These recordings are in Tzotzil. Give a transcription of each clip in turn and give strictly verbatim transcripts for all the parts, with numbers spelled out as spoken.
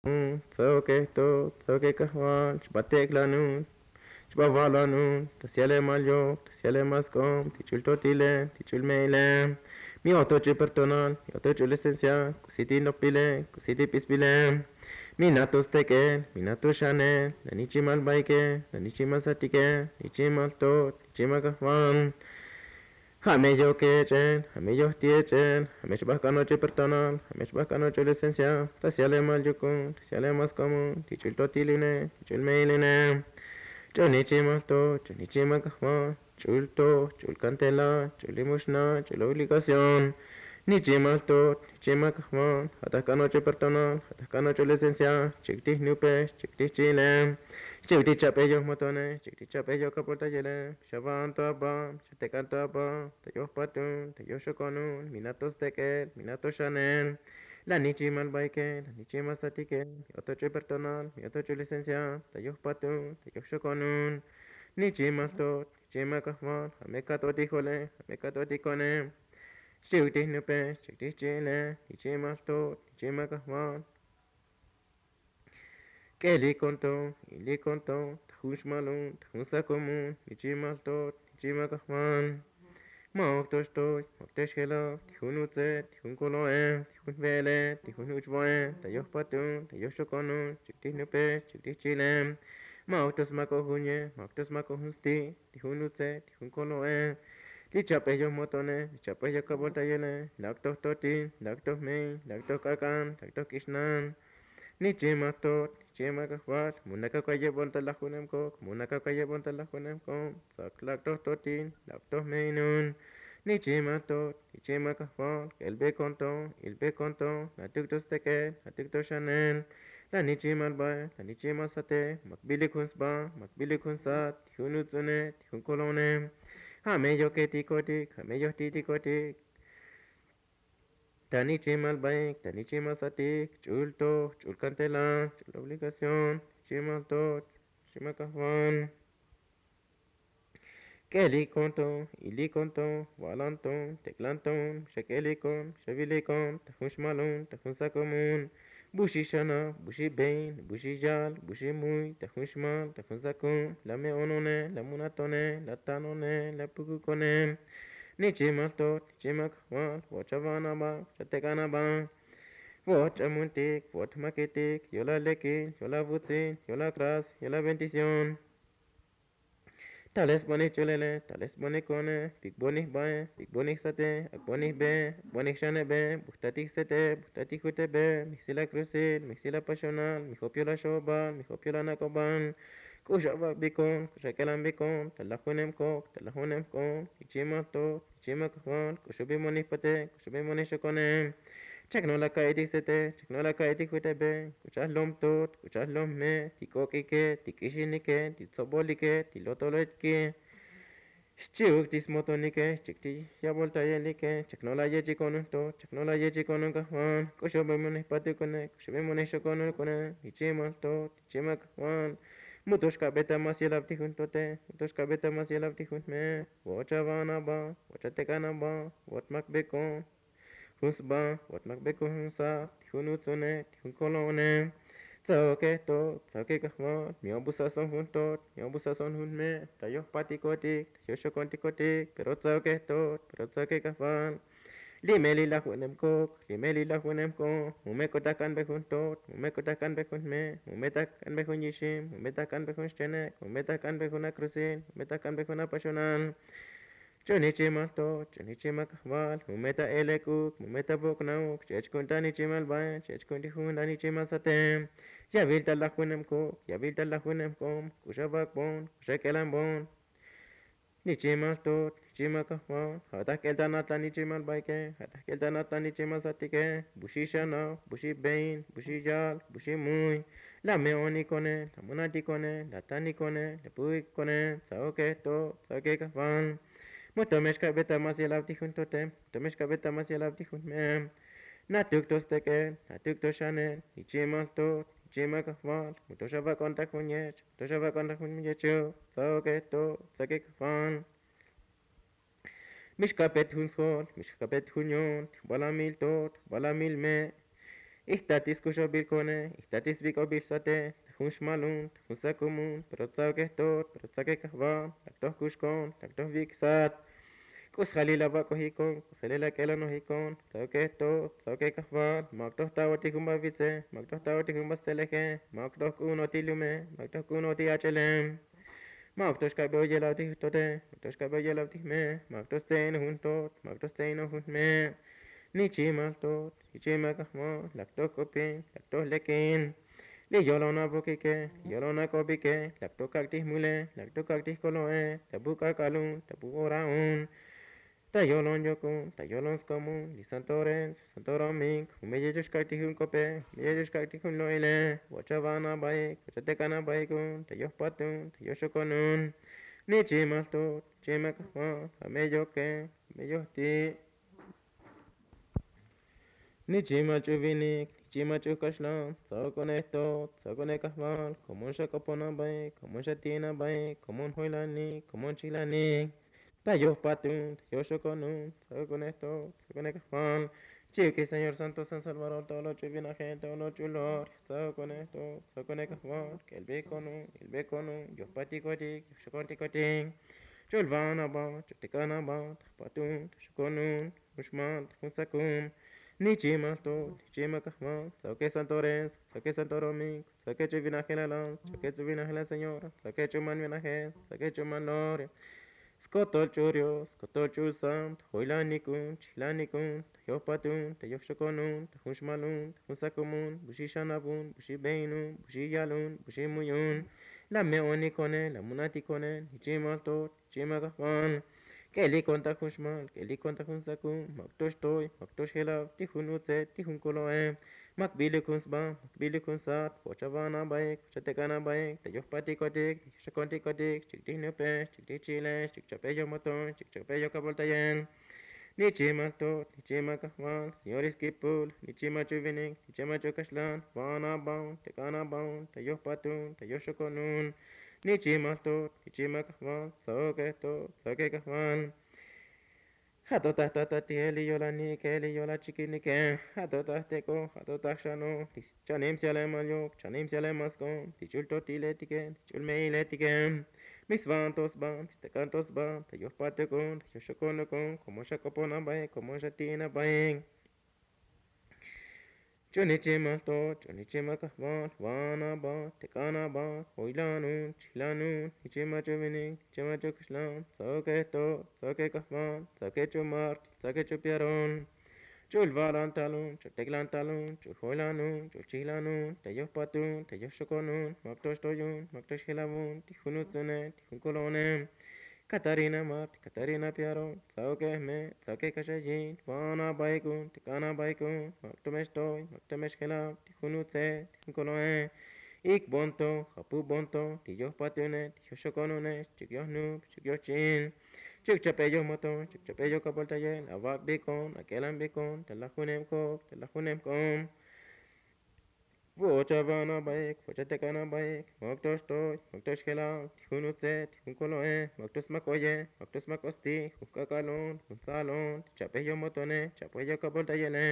Tzaoke to, tzaoke kajval, xbatek'lanun, xbava'lanun, ta syalemal yoj, ta syalemal sk'ob, ti ch'ul totile, ti ch'ul me'ile. Mi oto ch'ul pertonal, mi oto ch'ul esencia, k'usi ti nopile, k'usi ti p'isbile. Mi nato stek'el, mi nato xanel, la nichimal baike, la nichimal satike, nichimal to, nichimal kajval. Ja' me yoj kech'el, ja' me yoj tiech'el, ja' me xbajk'an och'ul pertonal, ja' me xbajk'an och'ul esencia, ta syalemal yukun, ta syalemal skomun, ti ch'ul totiline, ti ch'ul me'iline. Ch'ul nichimal to, ch'ul nichimal kajval, ch'ul to, ch'ul kantela, ch'ul limuxna, ch'ul obligación. Nichimal to, nichimal kajval, ja' ta jk'an och'ul pertonal, ja' ta jk'an och'ul esencia, chik ti jnupe, chik ti jchi'ile, chik ti chap'e yoj motone, chik ti chap'e yoj kapoltayele. Xavan to aba, xatek'an to aba, ta yoj patun, ta yoj xokonun, mi nato stek'el, mi nato xanel. La nichimal baike, la nichimal satike, mi oto ch'ul pertonal, mi oto ch'ul licencia, ta yoj patun, ta yoj xokonun. Nichimal to, nichimal kajval, ja' me kat'otik jole, ja' me kat'otik kone. Xchi'uk ti jnupe, xchi'uk ti jchi'ile, nichimal to, nichimal kajval. K'elik konto, ilik konto, ta jun xmalun, ta jun sakomun, nichimal to, nichimal kajval. Ma'uk to xtoy, ma'uk to xjelab, ti jun utse, ti jun kolo'e, ti jun jve'ele, ti jun uchvo'e, ta yoj patun, ta yoj xokonun, chik ti jnupe, chik ti jchi'ile. Ma'uk to smak'o junye, ma'uk to smak'o jun sti', ti jun utse, ti jun kolo'e. Li chap'e yoj motone, li chap'e yoj kaboltayele, lak' toj totin, lak' toj me'in, lak' toj k'ak'an, lak' toj k'ixnan. Nichimal to, nichimal kajval, mu nakak kayebon ta lajunem kok, mu nakak kayebon ta lajunem kok, tsak lak' toj totin, lak' toj me'inun. Nichimal to, nichimal kajval, k'elbe konto, ilbe konto, natuk to stek'el, natuk to xanel. La nichimal bae, la nichimal sate, mak bilik jun sba, mak bilik jun sat, ti jun uts'une, ti jun kolone. Ja' me yoj ketikotik, ja' me yoj titikotik. Ta nichimal baik, ta nichimal satik, ch'ul toj, ch'ul kantela, ch'ul obligación, nichimal toj, nichimal kajval. K'elik konto, ilik konto, va'lan ton, tek'lan ton, xa k'elik kon, xa vilik kon, ta jun xmalun, ta jun sakomun. Bu xi xanab, bu xi bein, bu xi yal, bu xi muy, ta jun xmal, ta jun sakun, la me'onone, la munatone, la tanone, la pukukone. Nichimal tot, nichimal kajval, vo'ot xa va'an aba, vo'ot xa tek'an aba. Vo'ot xa muntik, vo'ot jmakitik, yo'la lekil, yo'la vutsil, yo'la kras, yo'la bendición. Tale sbonik ch'ulele, tale sbonik kone, bik bonik bae, bik bonik sate, ak bonik be, ak bonik xanebe, bujtatik sete, bujtatik jutebe, mijsil akruzil, mijsil apaxonal, mijop yo'la xobal, mijop yo'la nak'obal. K'uxa vak'bikon, k'uxa k'elanbikon, ta lajunem kok, ta lajunem k'on, nichimal tot, nichimal kajval, k'uxubik monik pate, k'uxubik monik xokone. Chek no'la ka'itik sete, chek no'la ka'itik jutebe, k'uxa jlom tot, k'uxa jlom jme, ti k'ok'ike, ti k'ixinike, ti tsobolike, ti lotolotike. Xchi'uk ti smotonike, xchi'uk ti yaboltayelike, chek no'la yechikon jun tot, chek no'la yechikon jun kajval, k'uxubik monik patikone, k'uxubik monik xokonukone, nichimal tot, nichimal kajval. Mu to xka'be ta mas yelab ti jun tote, mu to xka'be ta mas yelab ti jun jme. Vo'ot xa va'an aba, vo'ot xa tek'an aba, vo'ot makbekon jun sba, vo'ot makbekon jun sat, ti jun uts'une, ti jun kolo'one. Tsaoke to, tsaoke kajval, mi obusason jun tot, mi obusason jun jme, ta yoj patikotik, ta yoj xokontikotik, pero tsaoke tot, pero tsaoke kajval. Li me li lajunem kok, li me li lajunem k'on, mu me k'ot ta jk'anbe jun tot, mu me k'ot ta jk'anbe jun jme, mu me ta jk'anbe jun yixim, mu me ta jk'anbe jun xchenek, mu me ta jk'anbe jun akruzil, mu me ta jk'anbe jun apaxonal. Ch'u nichimal tot, ch'u nichimal kajval, mu me ta elek'uk, mu me ta vok'nauk, ch'ech ku'un ta nichimal bae, ch'ech ku'un ti jun ta nichimal sate. Yavil ta lajunem kok, yavil ta lajunem k'on, k'uxa vak'bon, k'uxa k'elanbon. Nichimal tot, nichimal kajval, ja' ta jk'el ta nat ta nichimal baike, ja' ta jk'el ta nat ta nichimal satike, bu xi xanab, bu xi bein, bu xi yal, bu xi muy. La me'onikone, la munatikone, la tanikone, la pu'ikone, tsaoke tot, tsaoke kajval. Mu to me xka'be ta mas yelab ti jun tote, mu to me xka'be ta mas yelab ti jun jme. Natuk to stek'el, natuk to xanel, nichimal tot, nichimal kajval, mu to xa vak'on ta jun yech, to xa vak'on ta jun yechuk, tsaoke tot, tsaoke kajval. Mi xkapet jun sjol, mi xkapet jun yol, ti jbalamil tot, jbalamil me'. Ijtatis kuxobil kone, ijtatis vik'obil sate, ta jun xmalun, ta jun sakumun, pero tsa'oke jtot, pero tsa'oke kajval, lak toj kuxkon, lak toj vik' sat. K'u sjalil avak'ojikon, k'u sjalil ak'elanojikon, tsa'oke jtot, tsa'oke kajval, mak toj ta'oti jun vavitse, mak toj ta'oti jun vasteleje, mak toj k'u'unoti lume, mak toj k'u'unoti ach'ele. Mak toj xkabe oyelav ti jtote, mak toj xkabe oyelav ti jme, mak toj stse'inoj jun jtot, mak toj stse'inoj jun jme. Nichimal jtot, nichimal kajval, lak toj k'opin, lak toj lekin. Li yolon avokike, li yolon ak'obike, lak toj kak' ti jmule, lak toj kak' ti jkolo'e, ta bu k'ak'alun, ta bu oraun. Ta yolon yokun, ta yolon skomun, li santo rens, santo romink, jun meyel yoxkak' ti jun k'ope, jun meyel yoxkak' ti jun lo'ile, vocha van abaik, vocha tek'an abaikun, ta yojpatun, ta yoxokonun. Nichimal jtot, nichimal kajval, ja' me yoke, ja' me yojti'. Nichimal ch'u vinik, nichimal ch'u kaxlan, tsa'okonej jtot, tsa'okonej kajval, komun xak'opon abaik, komun xati'in abaik, komun joylanik, komun chijlanik. Ta yojpatun, ta yoxokonun, tsa'okonej jtot, tsa'okonej kajval. Chi'ukij señor santo san salvador ta olol ch'u vinaje, ta olol ch'u lor, tsa'okonej jtot, tsa'okonej kajval, k'elbekonun, k'elbekonun, yojpatikotik, yoxokontikotik. Ch'ul van aba, ch'ul tek'an aba, ta jpatun, ta xokonun, jun xmal, ta jun sakum. Nichimal jtot, nichimal kajval, tsa'oke santo rens, tsa'oke santo romink, tsa'oke ch'u vinajelal, tsa'oke ch'u vinajelal señor, tsa'oke ch'u man vinaje, tsa'oke ch'u man lor. Skotol ch'u dios, skotol ch'u sant, joylanikun, chijlanikun, ta yojpatun, ta yojxokonun, ta jun xmalun, ta jun sakumun, bu xixanabun, bu xibeinun, bu xiyalun, bu ximuyun. La me'onikone, la munatikone, nichimal jtot, nichimal kajval. K'elikon ta jun xmal, k'elikon ta jun sakum, mak toj xtoy, mak toj xjelav, ti jun utse, ti jun kolo'e. Mak bilikun sba, mak bilikun sat, vocha van abaik, vocha tek'an abaik, ta yojpatikotik, ta yoxokontikotik, xchik ti jnupe, xchik ti chile, xchik chap'e yojmoton, xchik chap'e yojkaboltayel. Nichimal jtot, nichimal kajval, señor iskipul, nichimal ch'u vinik, nichimal ch'u kaxlan, van abaun, tek'an abaun, ta yojpatun, ta yoxokonun. Nichimal jtot, nichimal kajval, tsa'oke jtot, tsa'oke kajval. Ja' to ta jtatatije, li yolanike, li yolachikinike, ja' to ta jtek'o, ja' to ta jxano, li chanim syalemal yok, chanim syalemal sk'on, ti ch'ul totiletike, ti ch'ul me'iletike. Mi svan to sba, mi stek'an to sba, ta yojpatukon, ta yoxokonukon, komo xak'opon abaik, komo xati'in abaik. Ch'u nichimal jtot, ch'u nichimal kajval, van aba, tek'an aba, joylanun, chijlanun, nichimal ch'u vinik, nichimal ch'u kaxlan, tsa'oke jtot, tsa'oke kajval, tsa'oke ch'u mark, tsa'oke ch'u piaron. Ch'ul valan talun, ch'ul teklan talun, ch'ul joylanun, ch'ul chijlanun, ta yojpatun, ta yoxokonun, mak to xtoyun, mak to xjelavun, ti jun utsune, ti jun kolo'one. Katarina mat, Katarina piaro, tsa'oke jme, tsa'oke kaxayin, van abaikun, tek'an abaikun, mak to me xtoy, mak to me xjelab, ti jun utse, ti jun kolo'e. Ik bonto, japu bonto, ti yojpatune, ti yoxokonune, xchik yojnuk, xchik yojchi'in, xchik chap'e yojmoton, xchik chap'e yojkaboltayel, avak'bikon, ak'elanbikon, ta lajuneb kok, ta lajuneb k'om. Vocha van abaik, vocha tek'an abaik, mak to xtoy, mak to xjelab, ti jun utse, ti jun kolo'e, mak to smak oye, mak to smak osti, jun k'ak'alon, jun tsalon, ti chap'e yojmotone, chap'e yojkaboltayele.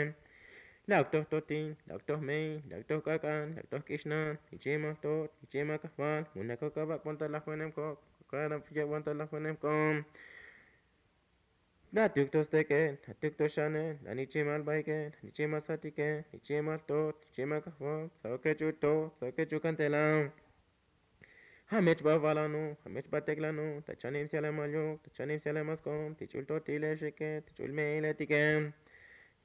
Lak toj totin, lak toj mein, lak toj k'ak'an, lak toj k'ixnan, nichimal jtot, nichimal kajval, munakok avak'bon ta lajuneb kok, kok avak'bon ta lajuneb k'om. La tuk to stek'el, la tuk to xanel, la nichimal baike, la nichimal satike, nichimal jtot, nichimal kajval, tsa'oke ch'u to, tsa'oke ch'u kantela. Ja' me chba valano, ja' me chba teklano, ta chanim syalemal yok, ta chanim syalemal sk'om, ti ch'ul to ti le xike, ti ch'ul me'iletike.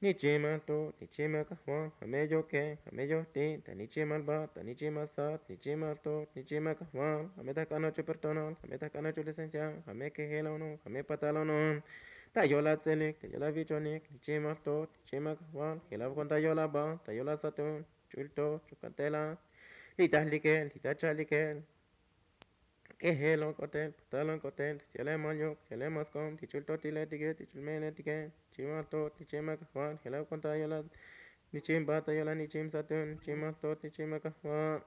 Nichimal jtot, nichimal kajval, ja' me yoke, ja' me yojti, ta nichimal bat, ta nichimal sat, nichimal jtot, nichimal kajval, ja' me ta jk'anoch ch'u perdonal, ja' me ta jk'anoch ch'u licencia, ja' me kejelono, ja' me patalono. Ta yola tselik, ta yola vichonik, nichimal jtot, nichimal kajval, jelabkon ta yola bat, ta yola satun, ch'ul to, ch'u kantela. Li ta jlikel, li ta cha'likel. K'ejelon k'otel, patalon k'otel, syalemal yok, syalemal sk'om, ti ch'ul totiletike, ti ch'ul me'iletike, nichimal jtot, nichimal kajval, jelabkon ta yola, nichim bat, ta yola nichim satun, nichimal jtot, nichimal kajval.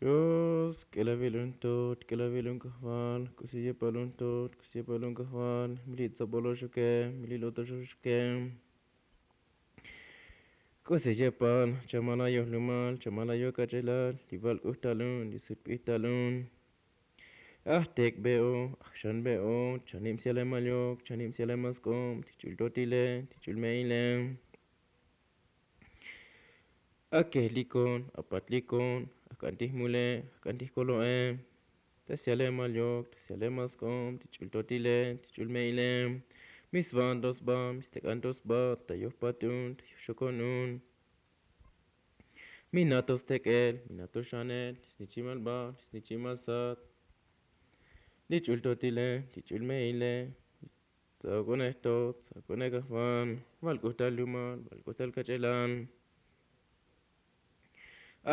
Dios k'elavil un tot, k'elavil un kajval. K'usi yepal un tot, k'usi yepal un kajval. Mili' tsoboloxuke, mili' lotoxoxuke. K'usi yepal chamal ayoj lumal, chamal ayoj kach'elal. Li val k'ujtal un, li sut p'ijtal un. Ajtek' be'o, ajxan be'o, chanib sialemal yok, chanib sialemal sk'ob, ti ch'ul totile, ti ch'ul me'ile. Akejlikon, apatlikon, ak'an ti jmule, ak'an ti jkolo'e. Ta sialemal yok, ta sialemal sk'ob, ti ch'ul totile, ti ch'ul me'ile. Mi svan to sba, mi stek'an to sba, ta yoj patun, ta yoj xokon un. Mi na to stek'el, mi na to xanel, li snichimal bal, li snichimal sat. Li ch'ul totile, li ch'ul me'ile. Tsak'unej tot, tsak'unej kajval. Val k'ujtal lumal, val k'ujtal kach'elal.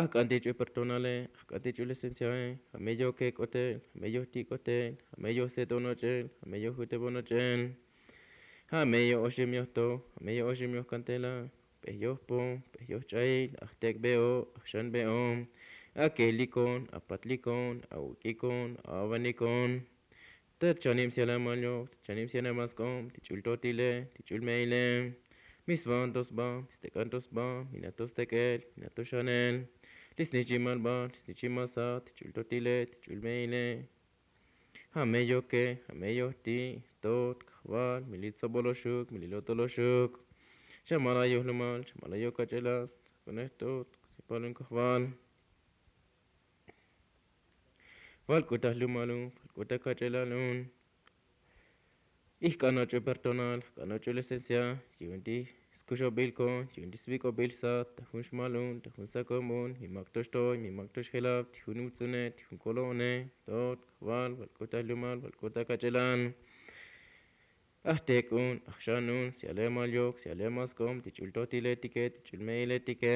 Ajk'an ti ch'ul pertonale, ajk'an ti ch'ul esenciae. Ja' me yoke k'otel, ja' me yoj ti' k'otel, ja' me yoj set'on och'el, ja' me yoj jutebon och'el. Ja' me yoj oxim yoj to, ja' me yoj oxim yoj kantela. P'ej yoj po, p'ej yoj ch'ail, ajtek' be'o, ajxan be'o. Akejlikon, apatlikon, awuk'ikon, avanikon. Ta chanib sialemal yok, ta chanib sialemal sk'ob, ti ch'ul totile, ti ch'ul me'ile. Mi svan to sba, mi stek'an to sba, mi na to stek'el, mi na to xanel. Li snichimal bal, li snichimal sat, ti ch'ul totile, ti ch'ul me'ile. Ja' me yoke, ja' me yoj ti', tot, kajval, mili' tsoboloxuk, mili' lotoloxuk. Chamal ayoj lumal, chamal ayoj kach'elal, tsak'unej tot, k'usi yepal un kajval. Val k'utal lumal un, val k'utal kach'elal un. Ijk'an och'ul pertonal, jk'an och'ul esencia, yu'un ti skuxobil kon, yu'un ti svik'obil sat, ta jun xmal un, ta jun sakob un, mi mak to xtoy, mi mak to xjelab, ti jun uts'une, ti jun kolo'one, tot, kajval, val k'utal lumal, val k'utal kach'elal. Ajtek' un, ajxan un, sialemal yok, sialemal sk'ob, ti ch'ul totiletike, ti ch'ul me'iletike,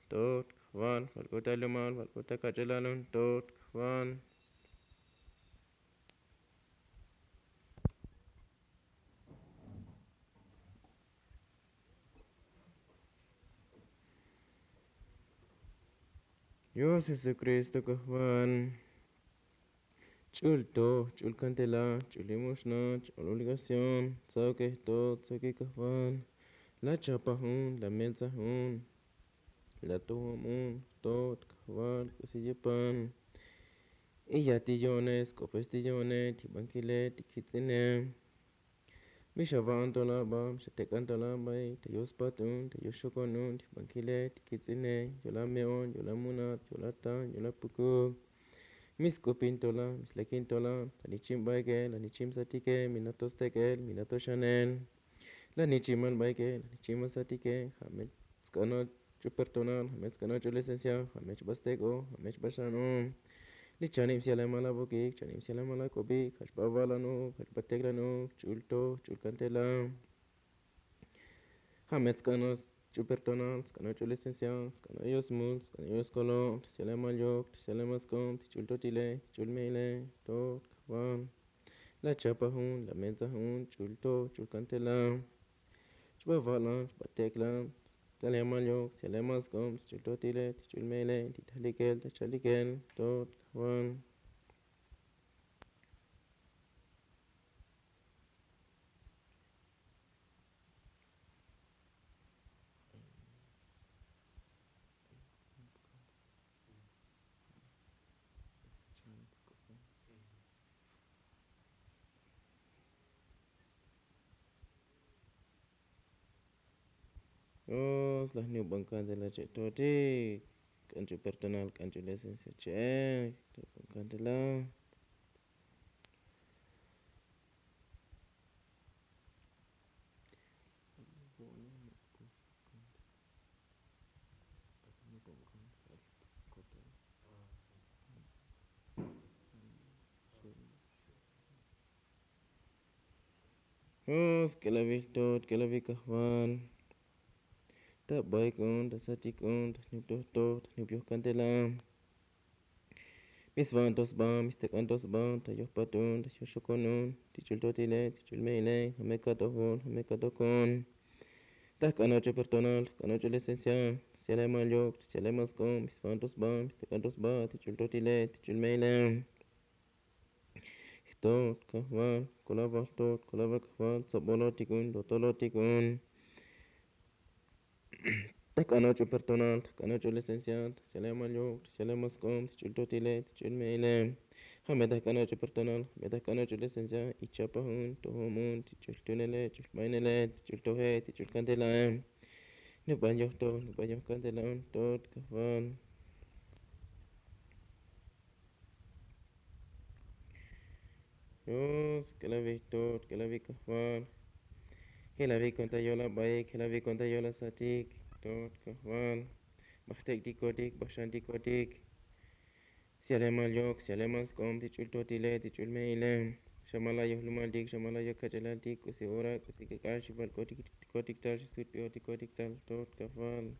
tot, kajval, val k'utal lumal, val k'utal kach'elal un, tot, kajval. Dios Jesucristo kajval. Ch'ul toj, ch'ul kantela, ch'ul imuxna, ch'ul obligación, tsaokej tot, tsaokej kajval. La chapaj un, la meltsaj un, la tojom un, tot, kajval, k'usi yepan. Iyaj ti yo'one, sk'opes ti yo'one, ti bankile, ti kits'ine. Mi xava'an to la ba, mi xatek'an to la bae, ta yoj spat un, ta yoj xokon un, ti bankile, ti kits'ine, yo'la me'on, yo'la munat, yo'la tan, yo'la pukuk. Mi sk'upin to la, mi slekin to la, la nichim baike, la nichim satike, mi na to stek'el, mi na to xanel. La nichimal baike, la nichimal satike, ja' me tsk'anot ch'ul pertonal, ja' me tsk'anot ch'ul esencia, ja' me chba stek'o, ja' me chba xano. Li chanib sialemal abokik, chanib sialemal ak'obik, ja' chba va'lanuk, ja' chba teklanuk, ch'ul toj, ch'ul kantela. Ja' me tsk'anot ch'ul pertonal, tsk'anot ch'ul esencia, tsk'anot yoj smul, tsk'anot yoj skolo, ta sialemal yok, ta sialemal sk'ob, ti ch'ul totile, ti ch'ul me'ile, tot, kajval. La chapaj un, la meltsaj un, ch'ul toj, ch'ul kantela. Chba va'lan, chba teklan, sialemal yok, sialemal sk'ob, ti ch'ul totile, ti ch'ul me'ile, ti tajlikel, ta chalikel, tot, kajval. Dios, la jnubon kantela che' totik, k'an ch'ul pertonal, k'an ch'ul esencia che', jnubon kantela. Dios, k'elavil tot, k'elavil kajval. Ta baik un, ta satik un, ta jnub toj toj, ta jnub yoj kantela. Mi sva'an to sba, mi stek'an to sba, ta yoj pat un, ta yoj xokon un, ti ch'ul totile, ti ch'ul me'ile, ja' me kat'oj un, ja' me kat'oj un. Ta jk'an och'ul pertonal, jk'an och'ul esencia, Syalemal yok, syalemal sk'om, sfanto sba, stek'anto sba, tich'ul totile, tich'ul me'ile. Jtot kajval, kolaval jtot, kolaval kajval, tsobolotik un, lotolotik un. Tajk'anoch' u personal, tajk'anoch' u licenciado, syalemal yok, syalemal sk'om, tich'ul totile, tich'ul me'ile. Ja' me tajk'anoch' u personal, me tajk'anoch' u licenciado, ichapaj un, tojom un, tich'ul tunele, tich'ul bainele, tich'ul toje, tich'ul kantelae. Nubal yojtoj, nubal yoj kantela un, jtot kajval. Dios, k'elavij jtot, k'elavij kajval. Jelavij konta yol abaik, jelavij konta yol asatik, jtot kajval. Bajtek'tikotik, bajxantikotik. Syalemal yok, syalemal sk'om, tich'ul totile, tich'ul me'ile. Xamala yojlumaltik, xamala yoj kach'alaltik, k'usi ora, k'usi k'ak'al, xivalk'otikotik tal, xisutp'ijotikotik tal, jtot kajval.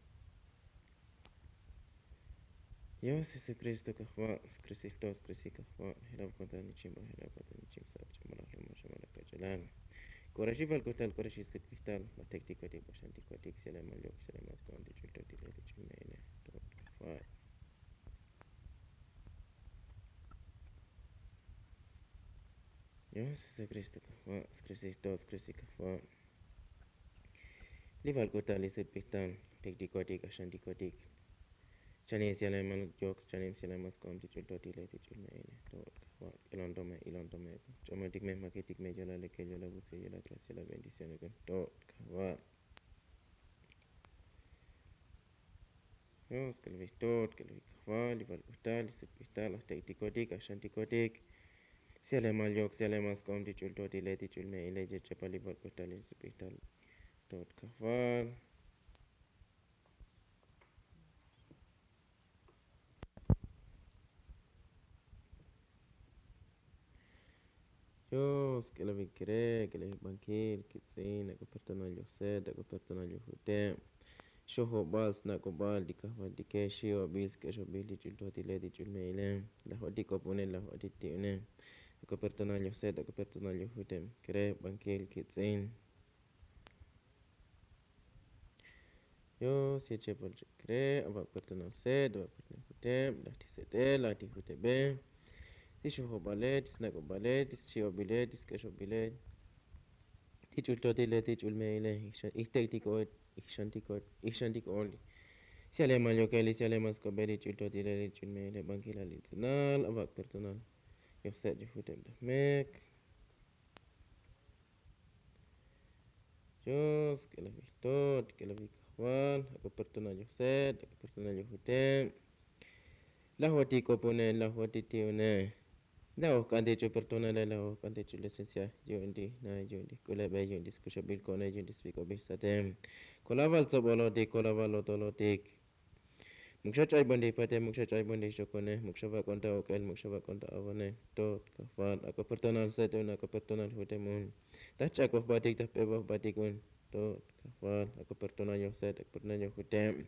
Dios Jesucristo kajval, skrisil to, skrisil kajval, jelav konta nichim ba, jelav konta nichim sab, xamala jlumal, xamala kach'alal. K'ora xivalk'ot tal, k'ora xisutp'ij tal, bajtek'tikotik, bajxantikotik, syalemal yok, syalemal sk'om, tich'ul totile, tich'ul me'ile, jtot kajval. Dios Jesucristo kajval, skrisil to, skrisil kajval. Livalk'ot tal, lisutp'ij tal, tek'tikotik, ajxantikotik. Chanim syalemal yok, chanim syalemal sk'om, tich'ul totile, tich'ul me'ile, jtot kajval, k'elon to me, ilon to me, ch'amontik me, jmakitik me, yolal lekel, yolal vutsil, yolal kras, yolal bendición, jtot kajval. Dios, k'elavij jtot, k'elavij kajval, livalk'ot tal, lisutp'ij tal, ajtek'tikotik, ajxantikotik. Syalemal yok, syalemal sk'om, tich'ul totile, tich'ul me'ile, yech'apal, livalk'ot tal, lisutp'ij tal, jtot kajval. Dios, k'elavij kere, k'elavij bankil, kitz'in, ak'o personal yoj set, ak'o personal yoj juteb. Xojobal, snak'obal, li kajvaltike, xi'obil, sk'exobil, tich'ul totile, tich'ul me'ile. Lajotik k'opone, lajotik ti'une. Ak'o personal yoj set, ak'o personal yoj juteb. Kere, bankil, kitz'in. Dios, yechepol chek kere, aba' personal set, aba' personal juteb, laj ti sete, laj ti jutebe, ti xojobale, ti snak'obale, ti xi'obile, ti sk'exobile, ti ch'ul totile, ti ch'ul me'ile, ixan, ixtek'tiko'ol, ixantikot, ixantik'o'ol. Syalemal yokel, syalemal sk'obel, ti ch'ul totile, ti ch'ul me'ile, bankilal, itz'inal, aba' personal yoj set, yoj juteb, laj mek. Dios, k'elavij jtot, k'elavij kajval, ak'o personal yoj set, ak'o personal yoj juteb. Lajotik k'opone, lajotik ti'une. Lajoj k'antik ch'u personale, lajoj k'antik ch'u licencia, yu'un ti na, yu'un ti k'ulebe, yu'un ti skuxobil ko'one, yu'un ti svik'obil sate. Kolaval tsobolotik, kolaval lotolotik. Muk xa ch'aybontik pate, muk xa ch'aybontik xokone, muk xa vak'on ta ok'el, muk xa vak'on ta avane, jtot kajval, ak'o personal set un, ak'o personal juteb un. Ta jch'akoj jbatik, ta jp'eboj jbatik un, jtot kajval, ak'o personal yoj set, ak'o personal yoj juteb.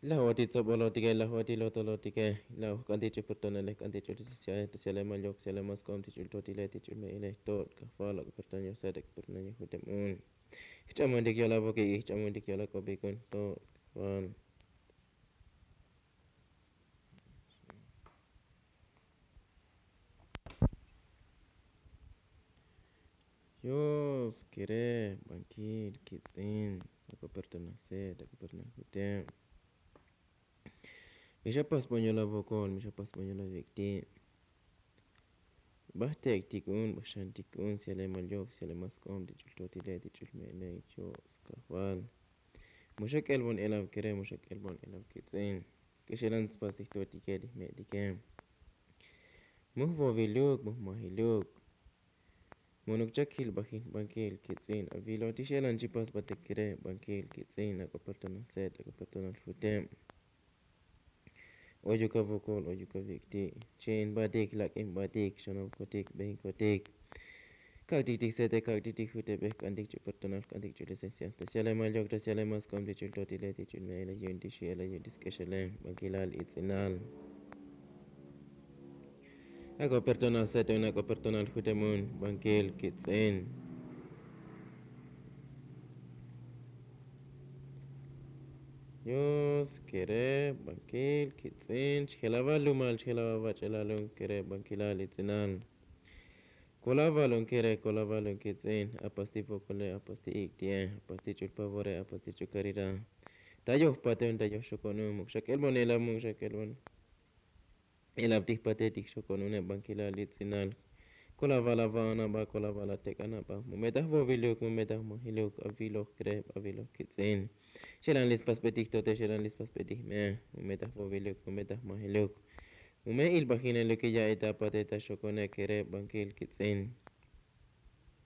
Laj otik tsobolotike, laj otik lotolotike, laj oj k'antik ch'u personale, k'antik ch'u licenciae, ta syalemal yok, syalemal sk'om, ti ch'ul totile, ti ch'ul me'ile, jtot kajval, ak'o personal yoj set, ak'o personal yoj juteb un. Jch'amontik yol avokik, jch'amontik yol ak'opik un, jtot kajval. Dios kere, bankil, kitz'in, ak'o personal set, ak'o personal juteb. Mi xa pasbon yol avokol, mi xa pasbon yol avik'ti'. Bajtek'tik un, bajxantik un, syalemal yok, syalemal sk'om, ti ch'ul totile, ti ch'ul me'ile, Dios kajval. Mu xa k'elbon elav kere, mu xa k'elbon elav kitz'in. K'exelan tspastik jtotike, ti jme'tike. Mu jvoviluk, mu jmajiluk. Mu nuk chak jilbajin, bankil, kitz'in, avilo, ti xelan chipas batik kere, bankil, kitz'in, ak'o personal set, ak'o personal juteb. Oyuk avokol, oyuk avik'ti'. Chi'in batik, lak'in batik, xan avokotik, bejinkotik. Kak'tik ti sete, kak'tik ti jutebe, k'antik ch'u personal, k'antik ch'u licencia. Ta syalemal yok, ta syalemal sk'om, ti ch'ul totile, ti ch'ul me'ile, yu'un ti xi'ele, yu'un ti sk'exele, bankilal, itz'inal. Ak'o personal set un, ak'o personal juteb un, bankil, kitz'in. Kereb bankil kitz'in chjelabal lumal chjelabal bach'elalun kereb bankilal itz'inal. Kolavalun kereb kolavalun kitz'in apasti fokole apasti ik'tie apasti ch'ul pavore apasti ch'ul karira. Ta yoj paten ta yoj xokonun muk xak'elbon elab muk xak'elbon elab tij pate tij xokonun eb bankilal itz'inal. Kolaval avanaba kolaval atek'anaba mu metaj voviluk mu metaj majiluk aviloj kereb aviloj kitz'in. Xelan lispasbetij tote xelan lispasbetij me mu metaj voviluk mu metaj majiluk. Mu me ilbajineluk iya'ita pate ta xokone kereb bankil kitz'in.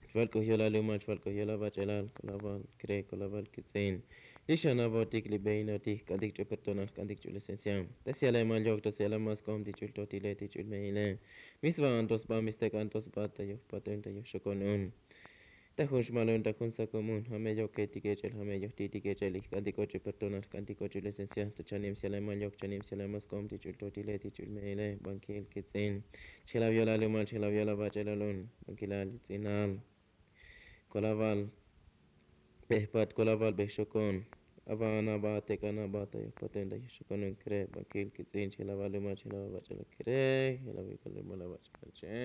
Chval k'u yola lumal chval k'u yola bach'elal kolaval kre kolaval kitz'in. Lixanavotik libeinotij k'antik ch'u pertonal k'antik ch'u licencia. Ta syalemal yok ta syalemal sk'om ti ch'ul totile ti ch'ul meile. Misva'an tosba mistek'an tosba ta yoj patun ta yoj xokonun. Ta jun xmalun ta jun sakomun jame yoke tikech'el jame yoj ti tikech'el ijk'antik och'u pertonal jk'antik och'u licencia ta chanim syalemal yok chanim syalemal sk'om ti ch'ul totile ti ch'ul meile bankil kitz'in. Chjelab yola lumal chjelab yola bach'elalun bankilal itz'inal. Kolaval bejpat kolaval bejxokon. Avanaba tek'anaba ta yoj patun ta yoj xokonun kre bankil kitz'in chjelabal lumal chjelabal bach'elalun kre. Chjelabal lumal bach'elalun che.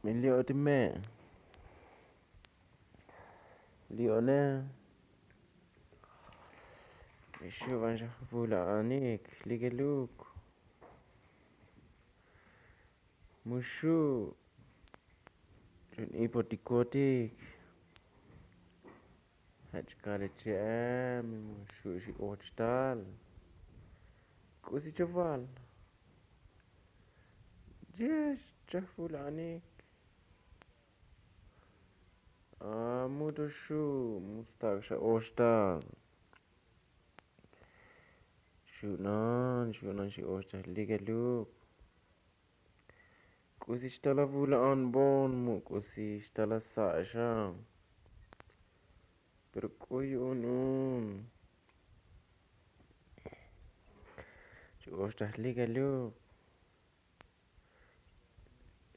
Mi li'o ti me' li'one. Mi xu' van xa vula'anik likeluk. Mu xu' ch'un ipotikotik. Jach' kale che'e mi mu xu' xi och tal. K'usi chaval yex chajvula'anik. A mu to xu' mu stak' xa och tal. Xu'nan xu'nan xi och tal likeluk. K'usi xtal avu'la'an bon mu k'usi xtal asa' xa. Pero k'u yu'un un. Xi och tal likeluk.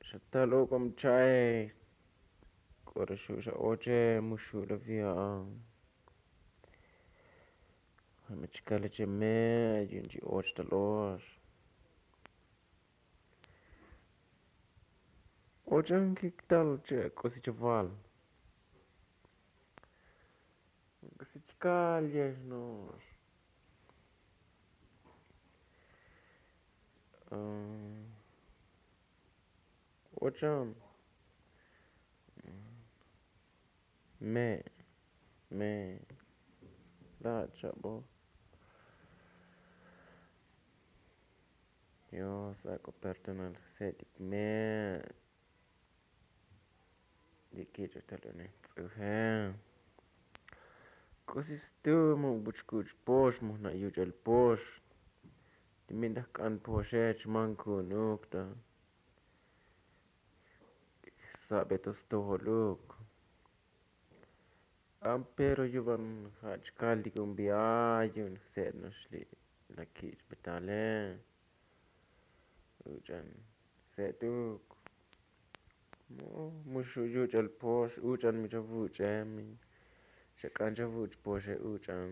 Xa tal ok'ob cha'e. K'ora xu' xa oche mu xu' la via'a. Jame chikale che me' yu'un chi och tal ox. Ochan kiktal che k'usi chaval. K'usi chikal yex no'ox. Ochan me' me' la' chabo. Dios ak'o perdonal jse'tik me'. Ye kich'o tal une ts'uje. K'usi stu mu buch' kuch' pox mu jna' yuch'el pox. Ti mintaj k'an poxe chman ku'unuk ta. Sabe to stojoluk. Ampero yuvan ja' chkal ti kun bi'a yu'un jse'et no'ox li' la kich' betale. Uch'an jse'etuk. Mu xu' yuch'al pox uch'an mi chavuch'e mi xak'an chavuch' poxe uch'an.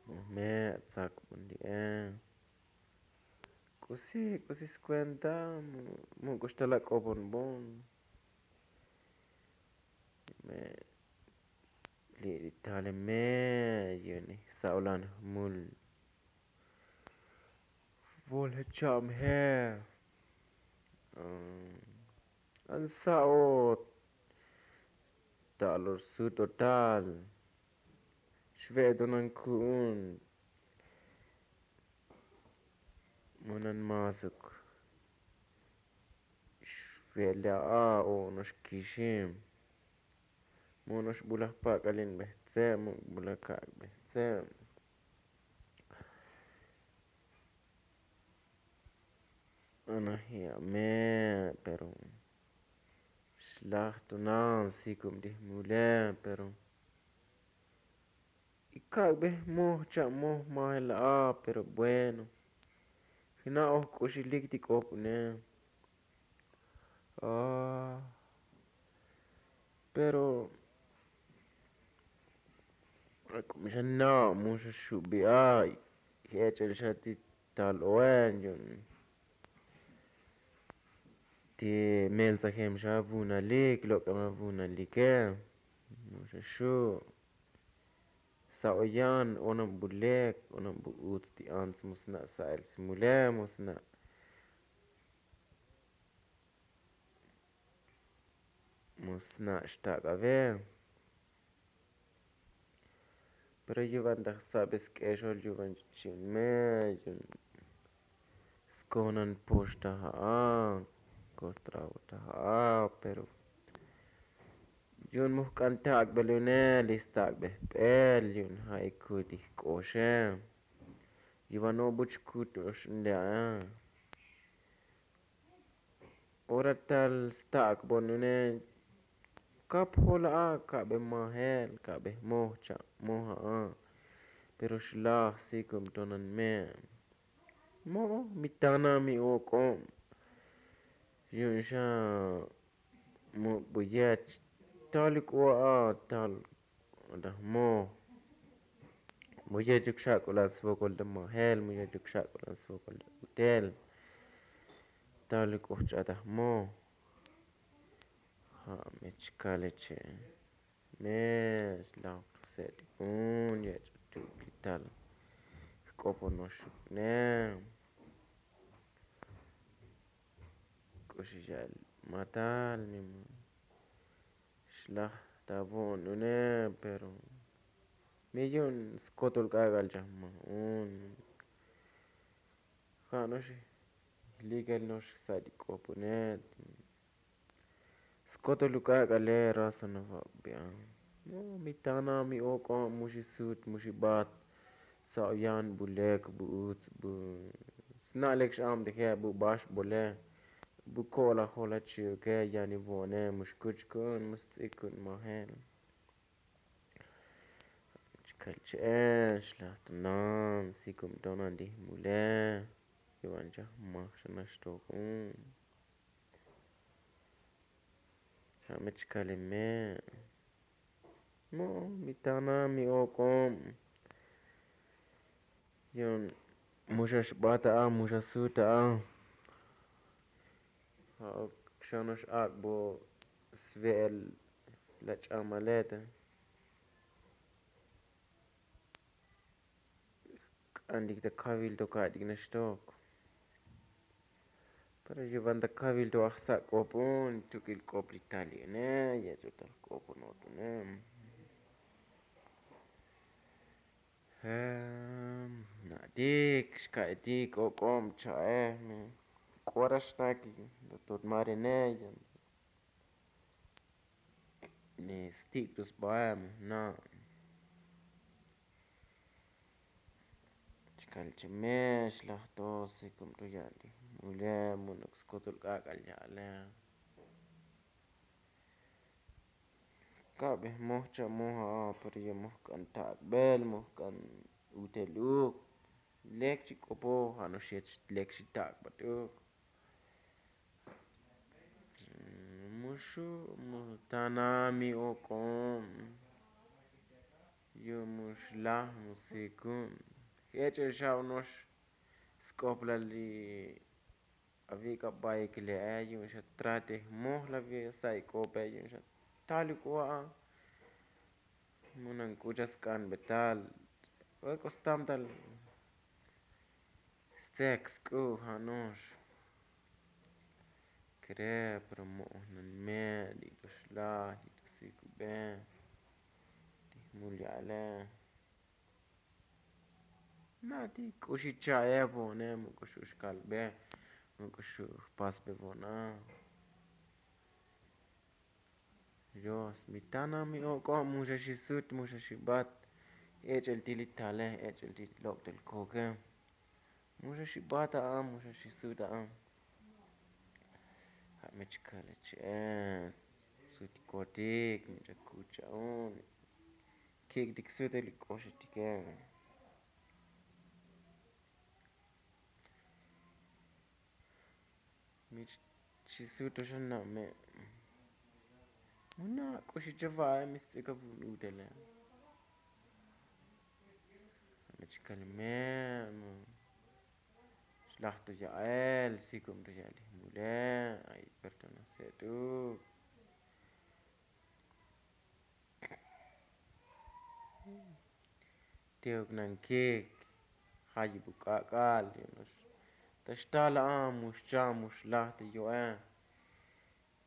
Mu jme' atzak bon li'e. K'usi k'usi skuenta. Mu k'uxtal ak'obon bon. Me' Li' ri taleme yu'un ijsa'olan jmul. Vol jecha'm je. Ansa'ot. Ta'lor sut otal. Xve'etonan ku'un. Monan masuk. Xve'le a'a o noxkixim. Monox bulaj pak'alin bejtse' muk' bulaj kak' bejtse'. Anaji' ame' pero xlaj tunan sikub ti jmule pero ikak'be moj cha' moj majel a'a pero bueno. Jna'oj k'uxilik ti k'op une. Pero ak'ub xa na' mu xa xubi' a' jech'el xa ti tal oen yu'un ti meltsajem xa vunalik lok'em avunalike. Mu xa xu' sa'oyan onab bulek onab bu uts ti ants mu sna' sa'el smule mu sna' mu sna' xtak'ave. Pero yuvan ta jsa'be sk'exol yuvan chi'un me yu'un skonan poxta ja'a kostravo ta ja'a pero yu'un mujk'an tak'bel une li stak'be jp'el yu'un ja' ikut ijk'oxe. Yuvan o buch kut ox unle a'a. Ora tal stak'bon une kap jol a'a ka'be majel ka'be jmoj cha' moj a'a. Pero xlaj sikub tonan me' mo'o mi tana mi ok'ob. Yu'un xa muk' buyech tal ik'o a'a tal ta jmoj. Mu yechuk xak'ulan svokol ta majel mu yechuk xak'ulan svokol ta utel. Tal k'o jch'a ta jmoj. Ja' me chkale che' me xlaj jse'tikun yech'utuk li tal jk'oponoxuk ne. K'uxi ya'el matal mi ma xlaj ta vo'on une pero mi yu'un skotol k'ak'al chaj ma un. Ja' no'ox jlikel no'ox jsa'tik k'op une. Skotol uk'ak'ale raza navabi'a. Mi tana mi ok'ob mu xisut mu xibat. Sa'oyan bu lek bu uts bu sna' lek x'abtije bu baxbole bu ko'lajol jach xi'uke yani vo'one mu xkuch ku'un mu sts'ik ku'un majel. Chkal che'e xlaj tonan sikub tonan ti jmule. Yuvan chaj maj xa naxtoj un. Ja' me chkale me' mo'o mi tana mi ok'ob. Yu'un mu xa xbat a'a mu xa sut a'a. Ja'uk xa no'ox ak'bo sve'el la ch'amale te. K'antik ta kavil to ka'tik naxtok. Pero yuvan ta kavil to ajsa' k'opon tuk'il k'op li tal yu'une yech'o tal k'opon otune. Na'tik xka'etik ok'ob cha'e me k'ora xnaki. Tot marene yan ni stik' to sbae mu jna'. Chkal chemex laj to sikub to ya'al ti mule mu nok skotol k'ak'al ya'ale. Ka'be moj cha' moj a'a pero ya moj k'an tak'bel moj k'an utel uk. Lek chi k'opo ja' no'ox yet lek chi tak'bat uk. Mu xu' mu tana mi ok'ob. Yu' mu xlaj mu sikub. Jech'el xa ono'ox sk'oplal li avi' k'a baik le'e yu'un xa trate jmoj lavi' sa'i k'ope yu'un xa tal ik'o a'a. Munan k'u cha'sk'an betal. Ek'o stam tal stzek sk'u' ja' no'ox. Kere pero mo'oj nan me' li' to xlaj li' to sikube. Ti jmul ya'ele. Na' ti k'u xi cha'e vo'one mu k'u xu' xkalbe mu k'u xu' jpasbe vo'ona. Dios mi tana mi ok'o' mu xa xi sut mu xa xi bat. Ech'el ti li tale ech'el ti lok'tel koke. Mu xa xi bat a'a mu xa xi sut a'a. Ja' mi chkale che'e sutikotik mi ch'akuch cha'un. Kik' tik sutel li k'oxetike. Mi xi suto xa na' me'. Mu na' k'uxi chava'e mi stz'ik avun utele. Mi chkal me' mu xlaj to ya'el sikub to ya'el jmule. Ay perdona se'tuk. Tiuk nan kik jayib u k'ak'al. Ta xtal a'a mu xcha' mu xlaj te yo'e.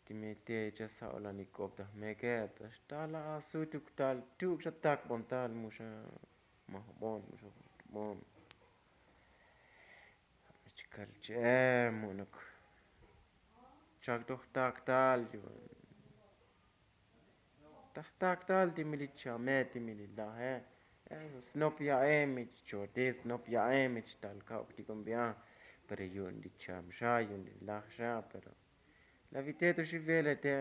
Ti me te chasa'olanik'ob ta jmeke ta xtal a'a sutuk tal tuk xa takbon tal mu xa majbon mu xa jujtubon. Chkal che'e mu'nuk chak to jtak tal yu'un. Ta jtak tal ti mi li chame ti mi li laje. Snop ya'e mi chchoti snop ya'e mi chtal ka'uk ti kombi'a. Pero yu'un li cham xa yu'un li laj xa pero la vite to xi vele te.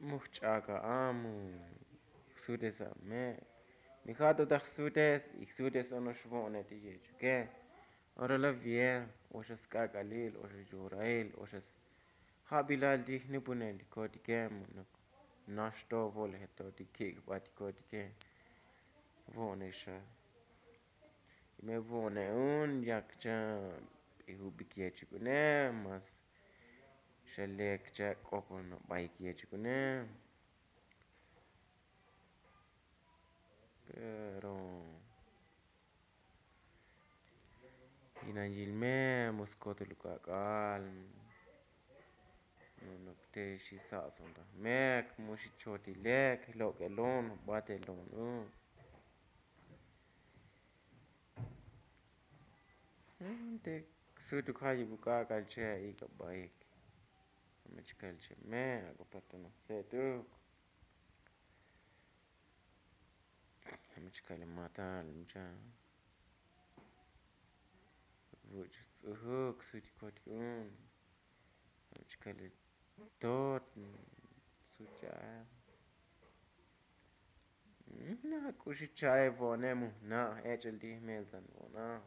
Mu jch'ak a'a mu jsutes a me'. Mi ja' to ta jsutes y jsutes ono'ox vo'one ti yechuke. Ora la vie oxa sk'ak'alil oxa yorail oxa sjabilal ti jnupunel ti kotike. Nax to voleje to ti kik' jba ti kotike. Vo'one xa. Y me vo'one un yak cha p'ijubik yechuk une mas xa lek cha k'opon baik yechuk une. Pero yinan yil me mu skotul u k'ak'al. Nonok te xi sa'son ta jmek mu xi chotilek jlok'elon jbatelon u. Te sutuk jayib u k'ak'al che ik'abaik. Jame chkal che me ak'o perdona se'tuk. Jame chkal matal mucha. Vuch' ts'ujuk sutik kotik un. Jame chkal tot sucha. Na k'uxi cha'e vo'one mu jna' ech'el ti jmelsan vo'ona.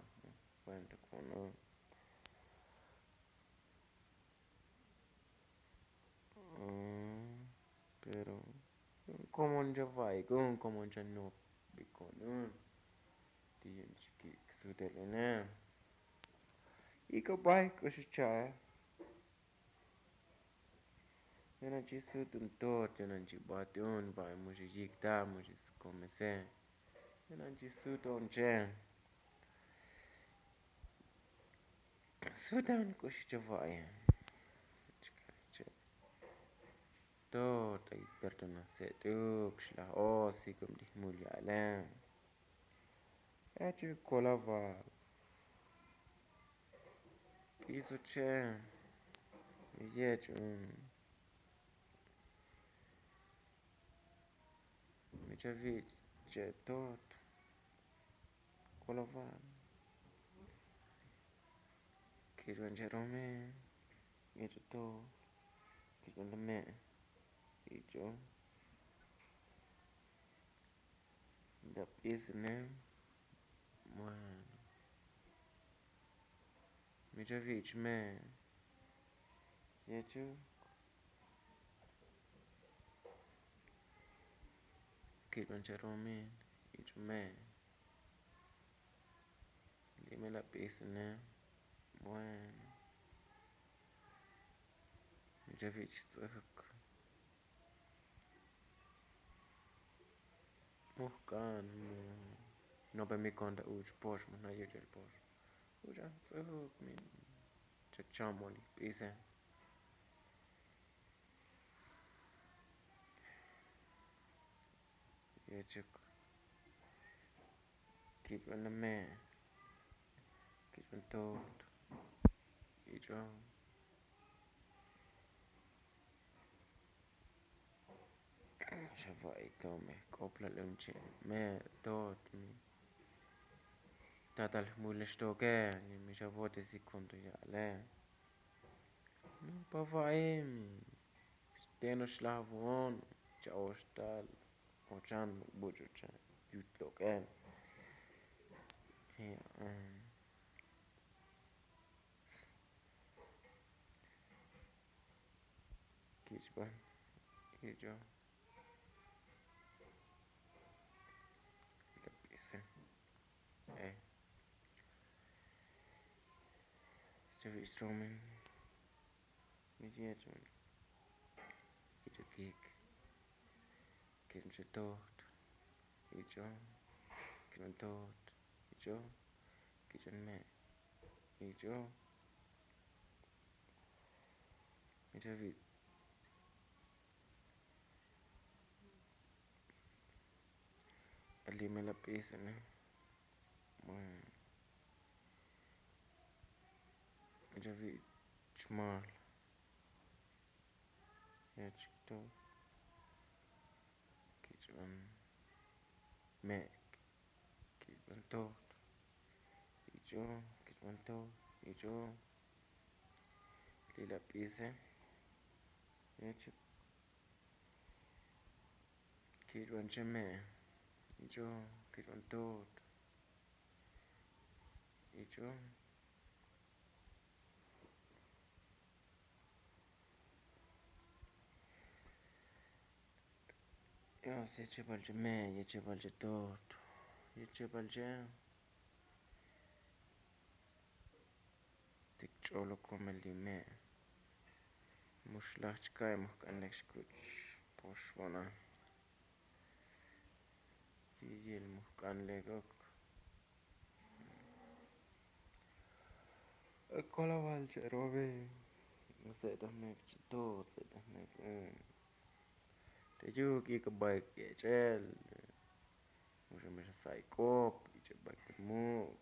Cuenta kono. Pero komon cha va'ik un komon cha nopik kono. Ti yu'un chikik sutel une. Ik'o baik k'uxi cha'e. Yo'nan chi sut un tot yo'nan chi bat un va'e mu xi yik ta mu xi skomese. Yo'nan chi sut un che. Sutan k'uxi che va'e. Tot ay perdona se'tuk xlaj o sikum ti jmul ya'le. Eche kolaval. P'iso che. Yech un. Micha vich' che tot. Koloval. Kich'on che rome. Yech' tot. Kich'on lame'. Kich'on. Ndap'is ne. Bueno. Micha vich' me. Yechu. Kich'on che romin. Ich'u me. Li' me lap'is ne. Bueno. Micha vich' ts'uk. Mujk'an mu nope mi konta uch pox mu jna' yuch'el pox. Uch a ts'uk mi chachamol ip'ise. Yechuk kich'b'an me' kich'b'an tot ich'o. Xa va'i to me k'oplal un che' me' tot mi tatal jmul xtoke. Mi xa vote si konto ya'le. No pa va'i mi teno xlaj vo'on cha'ox tal ochan buch' ochan yut lok'el. Kich'b'an ich'o. Kap'ise e chavi istromen. Mi yech'b'an ich'o kik. Kich'b'an che tot ich'o. Kich'b'an tot ich'o. Kich'b'an me' ich'o. Ich'o vit ali me la p'isene. Bueno, ich'o vit chmal. Ya chikto kich'b'an me' kich'b'an tot ich'o. Kich'b'an tot ich'o. Li la p'ise. Kich'b'an che me' ich'o. Kich'b'an tot ich'o. Yos yechebal che me' yechebal che tot yechebal che. Tik ch'olo komel li me' muxlaj chka'y mujk'an lek xkuch' poxb'onal. Yiyil mujk'an lek ok. Kolaval che robe. Se'taj mek che tot se'taj mek. Te yuk ik'abay kech'el. Muxa mexa sa'i k'op ich'abay te muk'.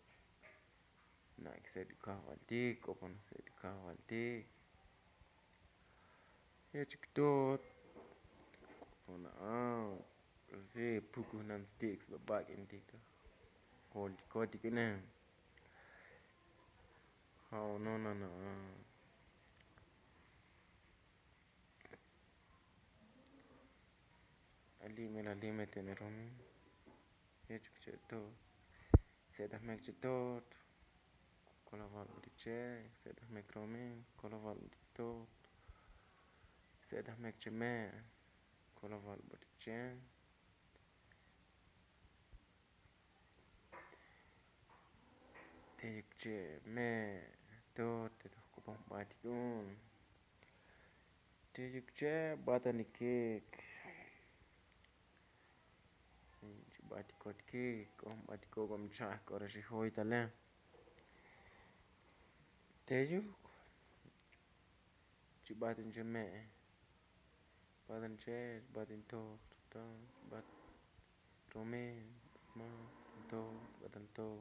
Na' ikse' ti kajvaltik k'opon se' ti kajvaltik. Yechik tot k'opon a' si pukuj nan stik sba bak'intik ta joltikotik ine. Ja'o no nana. Alime lalime tene romi. Yechik che tot. Se'taj mek che tot. Kolaval botik che. Se'taj mek romi. Kolaval botik tot. Se'taj mek che me'. Kolaval botik che. Te yuk che me' tot te toj k'opon batik un. Te yuk che batanikik. Chibatikotikik k'o batiko k'o mcha'aj k'o re xijoy tale. Te yuk chibatin che me'. Batin che batin toj. Bat romen ma toj batin toj.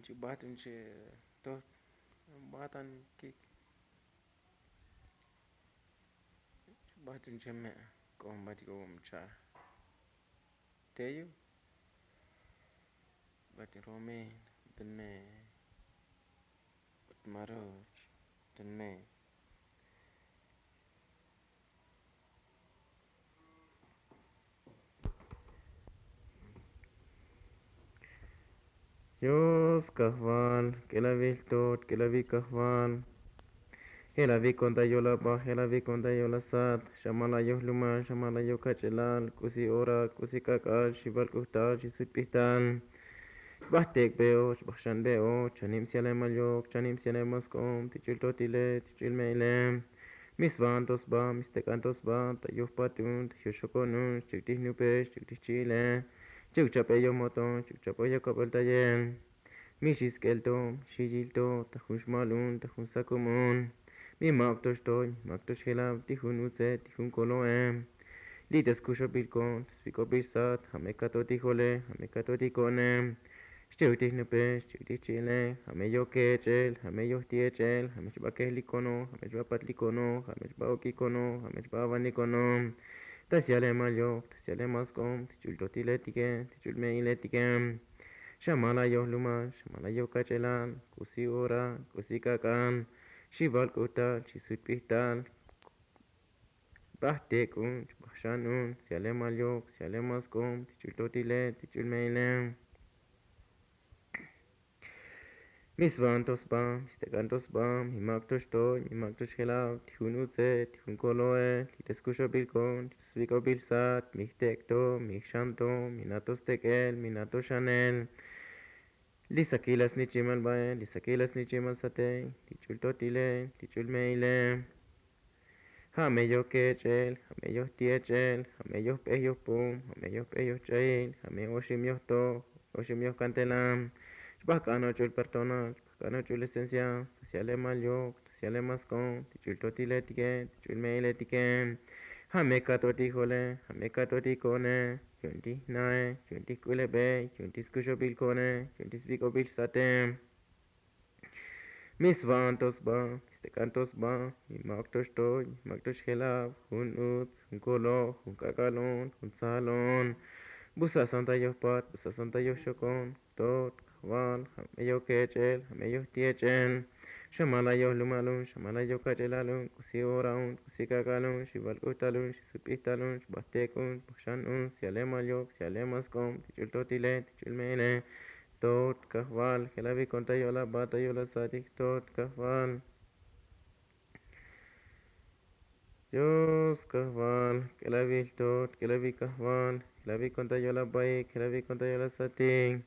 Chibatin che toj. Batanikik. Bat un che me' k'o bat k'o mcha'aj. Teyu bat romen bat me' bat maroch bat me'. Yos kajval k'elavil tot k'elavil kajval. Jelavil konta yol abaj jelavil konta yol asat. Xamal ayoj lumal xamal ayoj kach'elal k'usi ora k'usi k'ak'al xibal k'ujtal xisut p'ijtal. Xbaj tek' be'och xbaj xan be'och chanib sialemal yok chanib sialemal sk'ob tich'ul totile tich'ul me'ile. Mi svanto sba, mi stek'anto sba, ta yojpatun, ta yoxokonun, xchuk' ti jnupe, xchuk' ti jchi'ile, xchuk' chap'e yomoton, xchuk' chap'e yokabel tayel. Mi xi sk'el to, mi xi yil to, ta jun xmalun, ta jun sakumun. Mi mak to xtoy, mi mak to xjelav, ti jun utze, ti jun kolo'e. Li' ta skuxobil kon, ta svik'obil sat, ja' me kato ti jole, ja' me kato ti ko'ne. Xchuk' ti jnupe, xchuk' ti jchi'ile, ja' me yoj kech'el, ja' me yoj ti' ech'el, ja' me xba kejlikono, ja' me xba patlikono, ja' me xba ok'ikono, ja' me xba avanikono. Ta syalemal yoj, ta syalemal sk'ob, ti ch'ul totiletike, ti ch'ul me'iletike. Xamal ayoj lumal, xamal ayoj kach'elal, k'usi ora, k'usi k'ak'al, xi val k'utal, xi sut p'ijtal. Baj tek'un, baj xanun, syalemal yok, syalemal sk'ob, ti ch'ul totile, ti ch'ul me'ile. Mi svan to sba, mi stek'an to sba, mi mak to xtoy, mi mak to xjelav, ti jun utze, ti jun kolo'e, li' ta skuxobil kon, li' ta svik'obil sat, mi jtek' to, mi jxan to, mi na to stek'el, mi na to xanel. Li' sakil asnichimal bae, li' sakil asnichimal sate, ti ch'ul totile, ti ch'ul me'ile. Ja' me yoj kech'el, ja' me yoj ti' ech'el, ja' me yoj p'ej yoj pum, ja' me yoj p'ej yoj ch'ayil, ja' me oxim yoj toj, oxim yoj kantela. Xbaj k'an och'ul perdonal, xbaj k'an och'ul licencia, ta syalemal yok, ta syalemal sk'ob, ti ch'ul totiletike, ti ch'ul me'iletike. Ja' me kato ti jole, ja' me kato ti ko'ne, yu'un ti jnae, yu'un ti jk'ulebe, yu'un ti skuxobil ko'ne, yu'un ti svik'obil sate. Mi svan to sba, mi stek'an to sba, mi mak to xtoy, mi mak to xjelav, jun utz, jun koloj, jun k'ak'al on, jun tzal on. Busasan ta yoj pat, busasan ta yoj xokon, tot, kajval, ja' me yoj kech'el, ja' me yoj ti' ech'el. Xamal ayoj lumal un, xamal ayoj kach'elal un, k'usi ora un, k'usi k'ak'al un, xi val k'utal un, xi sut p'ijtal un, xbaj tek' un, xbaj xan un, syalemal yok, syalemal sk'ob, ti ch'ul totile, ti ch'ul me'ile. Tot kajval, jelavi kon ta yo'laba, ta yo'la satik, tot kajval. Dios kajval, k'elavil tot, k'elavil kajval, jelavi kon ta yo'labaik, jelavi kon ta yo'la satik.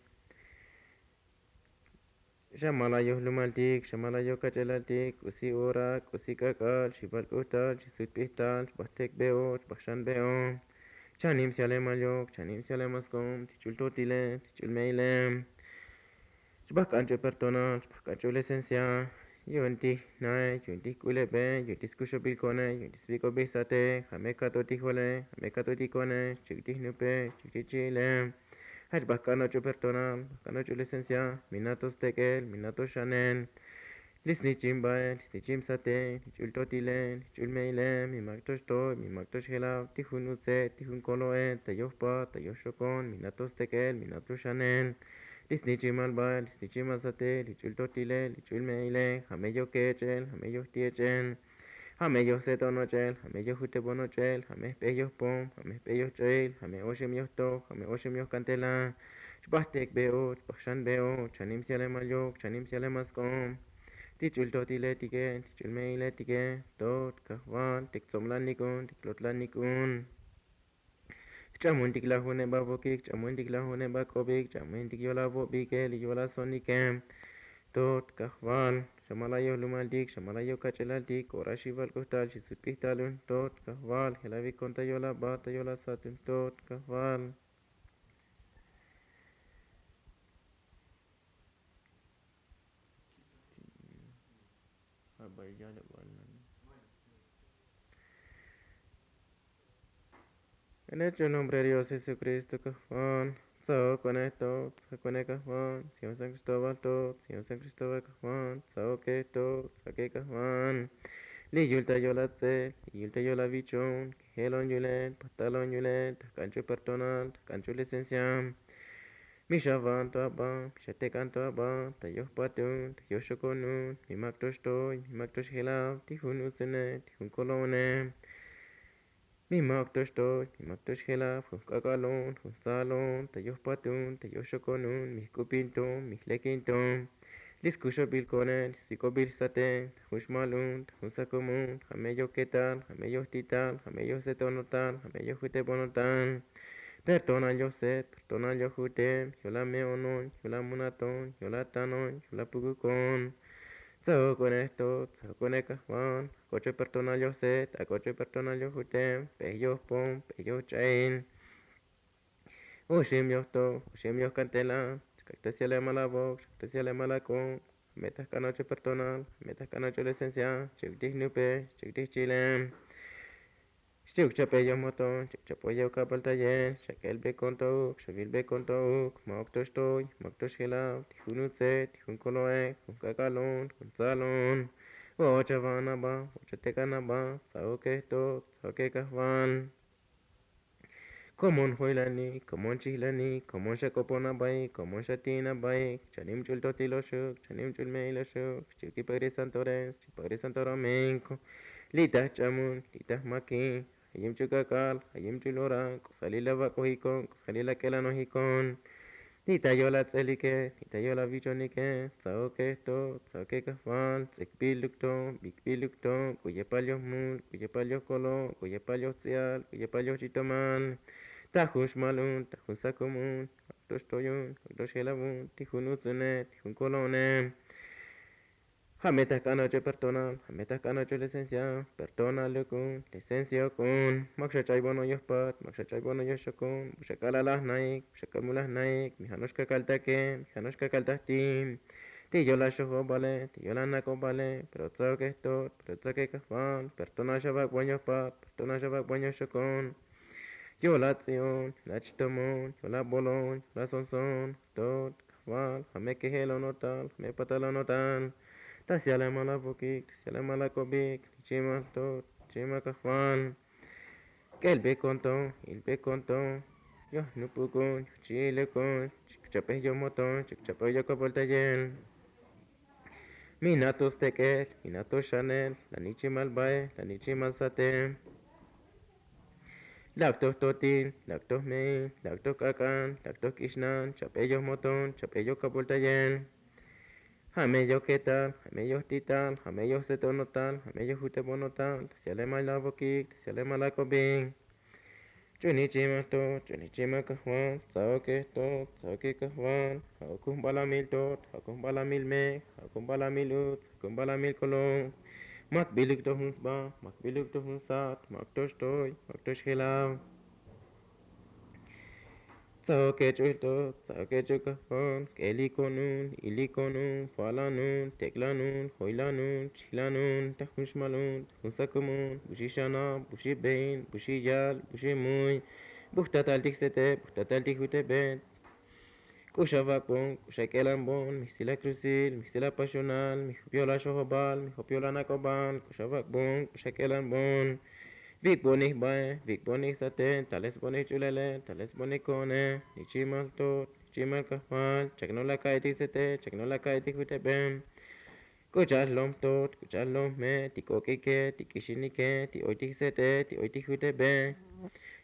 Xamal ayoj lumaltik, xamal ayoj kach'elaltik, k'usi ora, k'usi k'ak'al, xi val k'utal, xi sut p'ijtal, xbaj tek' be'o, xbaj xan be'o. Chanim syalemal yok, chanim syalemal sk'ob, ti ch'ul totile, ti ch'ul me'ile. Xbaj k'an ch'ul perdonal, xbaj k'an ch'ul licencia. Yu'un ti jnae, yu'un ti jk'ulebe, yu'un ti skuxobil ko'ne, yu'un ti svik'obil sate, ja' me kato ti jole, ja' me kato ti ko'ne, xchuk' ti jnupe, xchuk' ti jchi'ile. Ja' xbaj k'an och'ul perdonal, baj k'an och'ul licencia, mi na to stek'el, mi na to xanel. Li' snichim bae, li' snichim sate, li' ch'ul totile, li' ch'ul me'ile, mi mak to xtoy, mi mak to xjelav, ti jun utze, ti jun kolo'e, ta yoj pat, ta yoj xokon, mi na to stek'el, mi na to xanel. Li' snichimal bae, li' snichimal sate, li' ch'ul totile, li' ch'ul me'ile, ja' me yoj kech'el, ja' me yoj ti' ech'el. Ja' me yoj set'on och'el, ja' me yoj jutebon och'el, ja' me jp'ej yoj pom, ja' me jp'ej yoj ch'ayil, ja' me oxim yoj toj, ja' me oxim yoj kantela. Xbaj tek' be'o, xbaj xan be'o, chanim syalemal yok, chanim syalemal sk'ob. Ti ch'ul totiletike, ti ch'ul me'iletike, tot kajval, ti ktsoblanik un, ti klotlanik un. Jch'amuntik lajuneb avokik, jch'amuntik lajuneb ak'obik, jch'amuntik yo'la avobike, li' yo'la sonike. Tot kajval, xamal ayoj lumaltik, xamal ayoj kach'elaltik, ora xi val k'utal, xi sut p'ijtal un, tot kajval, jelavi kon ta yo'laba, ta yo'la sat un, tot kajval. En el nombre de Dios Jesucristo kajval, tsaok kone tot, tsaok kone kajval, Señor San Cristóbal tot, Señor San Cristóbal kajval, tsaoke tot, tsaoke kajval. Li' yul ta yo'la tse, li' yul ta yo'la vichon, kejelon yulel, patalon yulel, ta jk'an ch'ul perdonal, ta jk'an ch'ul licencia. Mi xavan to aba, mi xatek'an to aba, ta yoj patun, ta yoj xokon un, mi mak to xtoy, mi mak to xjelav, ti jun utsene, ti jun kolo'one. Mi mak to xtoy, mi mak to xjelav, jun jk'ak'al on, jun tzal on, ta yoj patun, ta yoj xokon un, mi jk'upin to, mi jlekin to. Li' skuxobil ko'ne, li' svik'obil sate, ta jun xmal un, ta jun sakum un, ja' me yoj ketal, ja' me yoj ti'tal, ja' me yoj set'on otal, ja' me yoj jutebon otal. Perdonal yoj set, perdonal yoj juteb, yo'la me'onon, yo'la munaton, yo'la tanon, yo'la pukukon. Tsahoko'ne jtot, tsahoko'ne kajval, ak'o ch'u pertonal yoj set, ak'o ch'u pertonal yoj jutem, p'ej yoj pom, p'ej yoj ch'a'in. Oxim yoj to, oxim yoj kantela, xkak'ta syalemal avok, xkak'ta syalemal ak'o. Jame' ta jk'an ocho pertonal, jame' ta jk'an ocho licencia, chik'tij nupe, chik'tij chile. Xchi'uk chap'e yoj moton, xchi'uk chap'e yoj kabal tayel, xak'el be konto'uk, xabil be konto'uk, ma'uk to xtoy, ma'uk to xjelav, ti jun utze, ti jun kolo'e, jun k'ak'alon, jun tzalon. Vo'och ava'an aba, vo'och atek'an aba, tsahoke jtot, tsahoke kajval. Komon joylanik, komon chijlanik, komon xak'opon abaik, komon xati'in abaik, chanim ch'ul totil oxuk, chanim ch'ul me'il oxuk, xchi'uk ipak ri santores, xchi'uk ipak ri santo domingo. Li' ta jch'amun, li' ta jmaki, jayim ch'ul k'ak'al, jayim ch'ul ora, k'usalil avak'ojikon, k'usalil ak'elanojikon. Li' ta yol ats'elike, li' ta yol avichonike, tsahoke jtot, tsahoke kajval, ts'ikbil luk to, bikbil luk to, k'u yepal yoj mul, k'u yepal yoj kolo, k'u yepal yoj tz'ial, k'u yepal yoj ch'itomal. Ta jun xmal un, ta jun sakum un, ak'o to xtoy un, ak'o to xjelav un, ti jun utzune, ti jun kolo'one. Jame' ta jk'an ocho pertonal, jame' ta jk'an ocho licencia, pertonal luk un, licencia ok un. Ma'uk xach'aybono yoj pat, ma'uk xach'aybono yoj xokon, bu xak'alal ajnaik, bu xak'amul ajnaik, mi ja' no'ox kakaltake, mi ja' no'ox kakaltaj ti. Ti yol axojobale, ti yol anak'obale, pero tsahoke jtot, pero tsahoke kajval, pertonal xavak'bon yoj pat, pertonal xavak'bon yoj xokon. Yol ats'i'on, yol achtomon, yol abolon, yol asonson, jtot, kajval, jame' kejelon otal, jame' patalon otal. Ta syalemal avokik, ta syalemal ak'obik, nichimal jtot, nichimal kajval. K'el be konto, il be konto, yoj nupukon, yoj chi'ilokon, chikchap'ej yoj moton, chikchap'ej yoj kaboltayel. Mi na' to stek'el, mi na' to xanel, la nichimal bae, la nichimal sate. Lak' toj totil, lak' toj me'il, lak' toj k'ak'al, lak' toj k'ixnal, chap'e yoj moton, chap'e yoj kaboltayel. Jame' yoj ketal, jame' yoj tital, jame' yoj setonotal, jame' yoj jutebonotal, ta syalemal avokik, ta syalemal ak'obik. Ch'u nichimal jtot, ch'u nichimal kajval, tsahoke jtot, tsahoke kajval, ja'uk jun balamil tot, ja'uk jun balamil mek, ja'uk jun balamil utz, ja'uk jun balamil kolo'. Makbiluk to jun sba, makbiluk to jun sat, ma'uk to xtoy, ma'uk to xjelav. Tsahoke ch'u jtot, tsahoke ch'u kajval, k'elikon un, ilikon un, falan un, tek'lan un, joylan un, chijlan un, ta jun xmal un, ta jun sakum un, bu xixanav, bu xibe'in, bu xiyal, bu ximuy, bu jtatal ti jsete, bu jtatal ti jutebe. K'u xavak'bon, k'u xak'elanbon, mi jsil akrusil, mi jsil apaxonal, mi jop yol axojobal, mi jop yol anak'obal, k'u xavak'bon, k'u xak'elanbon. Vik'bonik bae, vik'bonik sate, talesbonik ch'ulele, talesbonik ko'one, nichimal jtot, nichimal kajval, chaknol aka'i ti jsete, chaknol aka'i ti jutebe. K'u cha'al jlom jtot, k'u cha'al jlom jme', ti k'ok'ike, ti k'ixinike, ti oy ti jsete, ti oy ti jutebe.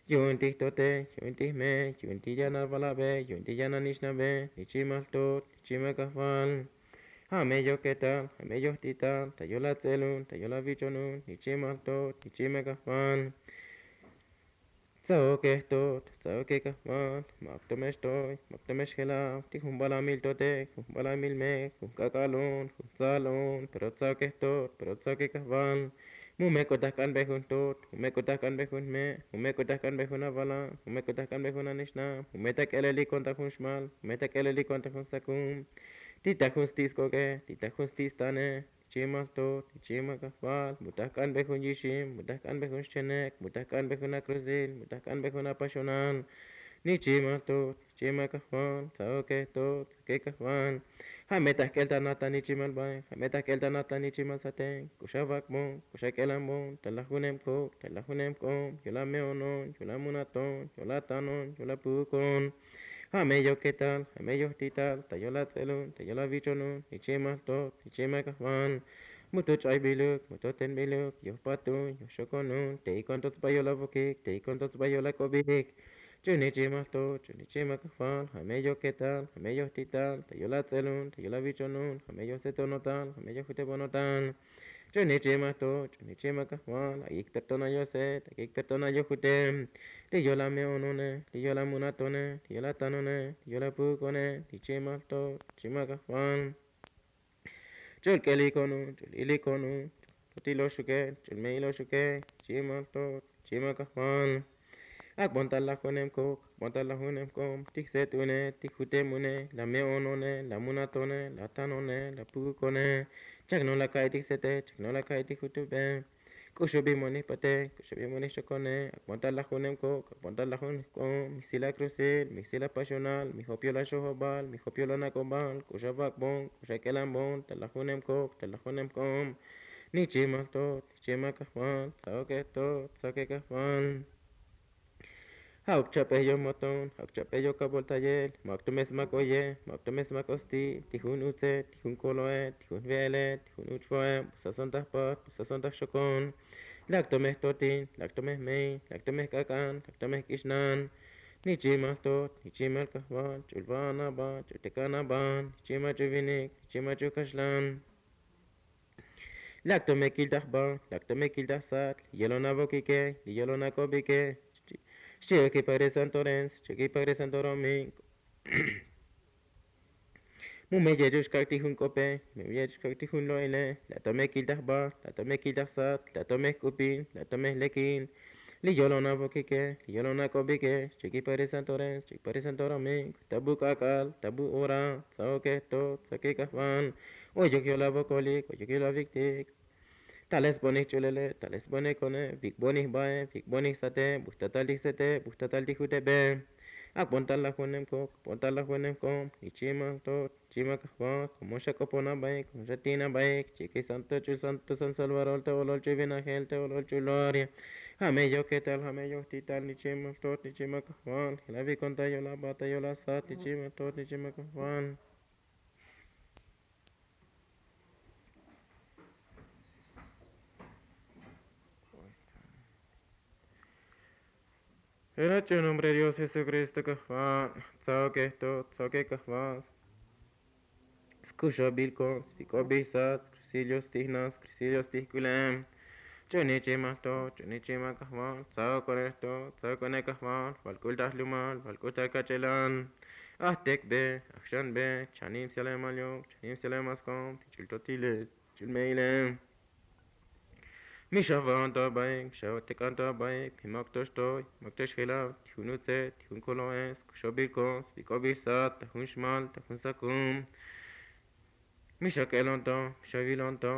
Yu'un ti jtote, yu'un ti jme', yu'un ti yanal valabe, yu'un ti yanal nixnabe, nichimal jtot, nichimal kajval. Jame' yoj ketal, jame' yoj tital, ta yol ats'el un, ta yol avichon un, nichimal jtot, nichimal kajval. Tsahoke jtot, tsahoke kajval, ma'uk to me xtoy, ma'uk to me xjelav, ti jun balamil tote, jun balamil mek, jun k'ak'al un, jun tzal un, pero tsahoke jtot, pero tsahoke kajval. Mu me k'u ta jk'anbe jun jtot, mu me k'u ta jk'anbe jun jme', mu me k'u ta jk'anbe jun avala, mu me k'u ta jk'anbe jun anixna, mu me ta k'elelikon ta jun xmal, mu me ta k'elelikon ta jun sakum. Ti ta jun sti' sk'ok'e, ti ta jun sti' stane, nichimal jtot, nichimal kajval, mu ta jk'anbe jun yixim, mu ta jk'anbe jun xchenek, mu ta jk'anbe jun akrusil, mu ta jk'anbe jun apaxonal. Nichimal jtot, nichimal kajval, tsahoke jtot, tsahoke kajval. Jame' ta jk'el ta nat ta nichimal bae, jame' ta jk'el ta nat ta nichimal sate, k'u xavak'bon, k'u xak'elanbon, ta laj junem kuk', ta laj junem k'om, yol ame'onon, yol amunaton, yol atanon, yol apukon. Jame' yoj ketal, jame' yoj tital, ta yol ats'el un, ta yol avichon un, nichimal jtot, nichimal kajval. Mu to ch'aybiluk, mu to tenbiluk, yoj pat un, yoj xokon un, te'ikon to tsba yol avokik, te'ikon to tsba yol ak'obik. Ch'u nichimal jtot, ch'u nichimal kajval, jame' yoj ketal, jame' yoj tital, ta yol ats'el un, ta yol avichon un, jame' yoj setonotal, jame' yoj jutebonotal. Ch'u nichimal jtot, ch'u nichimal kajval, ak'ik pertonal yoj set, ak'ik pertonal yoj jutem. Li' yol ame'onone, li' yol amunatone, li' yol atanone, li' yol apukone, nichimal jtot, nichimal kajval. Ch'ul k'elik onun, ch'ul ilik onun, ch'ul totil oxukel, ch'ul me'il oxukel, chimal tot, chimal kajval. Ak'bon ta lajunem kok, ak'bon ta lajunem kom, ti jset une, ti jutem une, la me'on one, la munat one, la atan one, la pukuk one. Chak no la ka'i ti jsete, chak no la ka'i ti jutube. K'uxubij monik pate, k'uxubij monik xokone, ak'bon ta lajunem kok, ak'bon ta lajunem kom, mi jsil akrusil, mi jsil apaxonal, mi jop yol axojobal, mi jop yol anak'obal, k'uxa vak'bon, k'uxa k'elanbon ta lajunem kok, ta lajunem kom. Nichimal tot, nichimal kajval, tsa'oke tot, tsa'oke kajval. Ja'uk chap'ej yomoton, ja'uk chap'ej yokaboltayel, ma'uk to me smak oye, ma'uk to me smak osti, ti jun utse, ti jun koloe, ti jun ve'ele, ti jun uch'voe, bu sasontaj pat, bu sasontaj xokon. Lak to me jtotin, lak to me jmey, lak to me jk'ak'an, lak to me jk'ixnan. Nichimal tot, nichimal kajval, ch'ul va'an aba, ch'ul tek'an aba, nichimal ch'ul vinik, nichimal ch'ul kaxlan. Lak to me kiltaj ba, lak to me kiltaj sat, li yolon avokike, li yolon ak'obike. Xchi'oki padre santo rens, xchi'oki padre santo romik. Mu me yech'uk xkak' ti jun k'ope, mu me yech'uk xkak' ti jun lo'ile, la to me kiltaj ba, la to me kiltaj sat, la to me jk'upin, la to me jlekin. Li yolon avokike, li yolon ak'obike, xchi'oki padre santo rens, xchi'oki padre santo romik, ta bu k'ak'al, ta bu ora, tsa'oke tot, tsa'oke kajval. Oyuk yol avokolik, oyuk yol aviktik. Tales bonik ch'ulele, tales bonik one, vik bonik bae, vik bonik sate, bu jtatal ti jsete, bu jtatal ti jutebe. Ak'bon ta lajunem kok, ak'bon ta lajunem kom, nichimal tot, nichimal kajval, komo xak'opon abaik, komo xatin abaik, chike santo ch'ul santo san salvador, te olol ch'ul vinajel, te olol ch'ul gloria. Ja' me yok ketal, ja' me yok tital, nichimal tot, nichimal kajval, jel avikon ta yol aba, ta yol asat, nichimal tot, nichimal kajval. En el nombre de Dios Jesucristo, kajval, tsa'oke to, tsa'oke kajval. Skuxobil kon, spik'obil sat, skrusil yo stijnas, skrusil yo stijk'ulem. Ch'uni chimal to, ch'uni chimal kajval, tsa'okone to, tsa'okone kajval, val k'ultaj lumal, val k'ultaj kach'elan. Ajtekbe, ajxanbe, chanim selemal yok, chanim selemal skom, ti ch'ul totile, ti ch'ul me'ile. Mi xava'on to abaik, mi xatek'an to abaik, mi mak to xtoy, mak to xjelav, ti jun utze, ti jun kolo'es, kuxobil kos, spik'obil sat, ta jun xmal, ta jun sakum. Mi xak'elon to, mi xavilon to.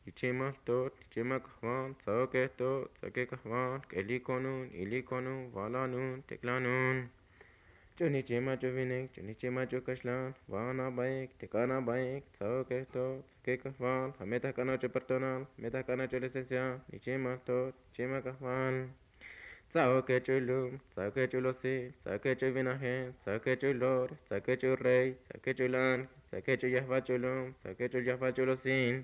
Li chimal tot, li chimal kajval, tsa'oke to, tsa'oke kajval, k'elik konun, ilik konun, valanun, teklanun. Ch'uni chimal ch'ul vinik, ch'uni chimal ch'ul kaxlan, va'an abaik, tek'an abaik, tsa'oke to, tsa'oke kajval, ja' me ta jk'an och'ul perdonal, ja' me ta jk'an och'ul licencia, li chimal tot, li chimal kajval. Tsa'oke ch'ul lum, tsa'oke ch'ul osil, tsa'oke ch'ul vinajel, tsa'oke ch'ul lor, tsa'oke ch'ul rey, tsa'oke ch'ul ángel, tsa'oke ch'ul yajval ch'ul lum, tsa'oke ch'ul yajval ch'ul osil.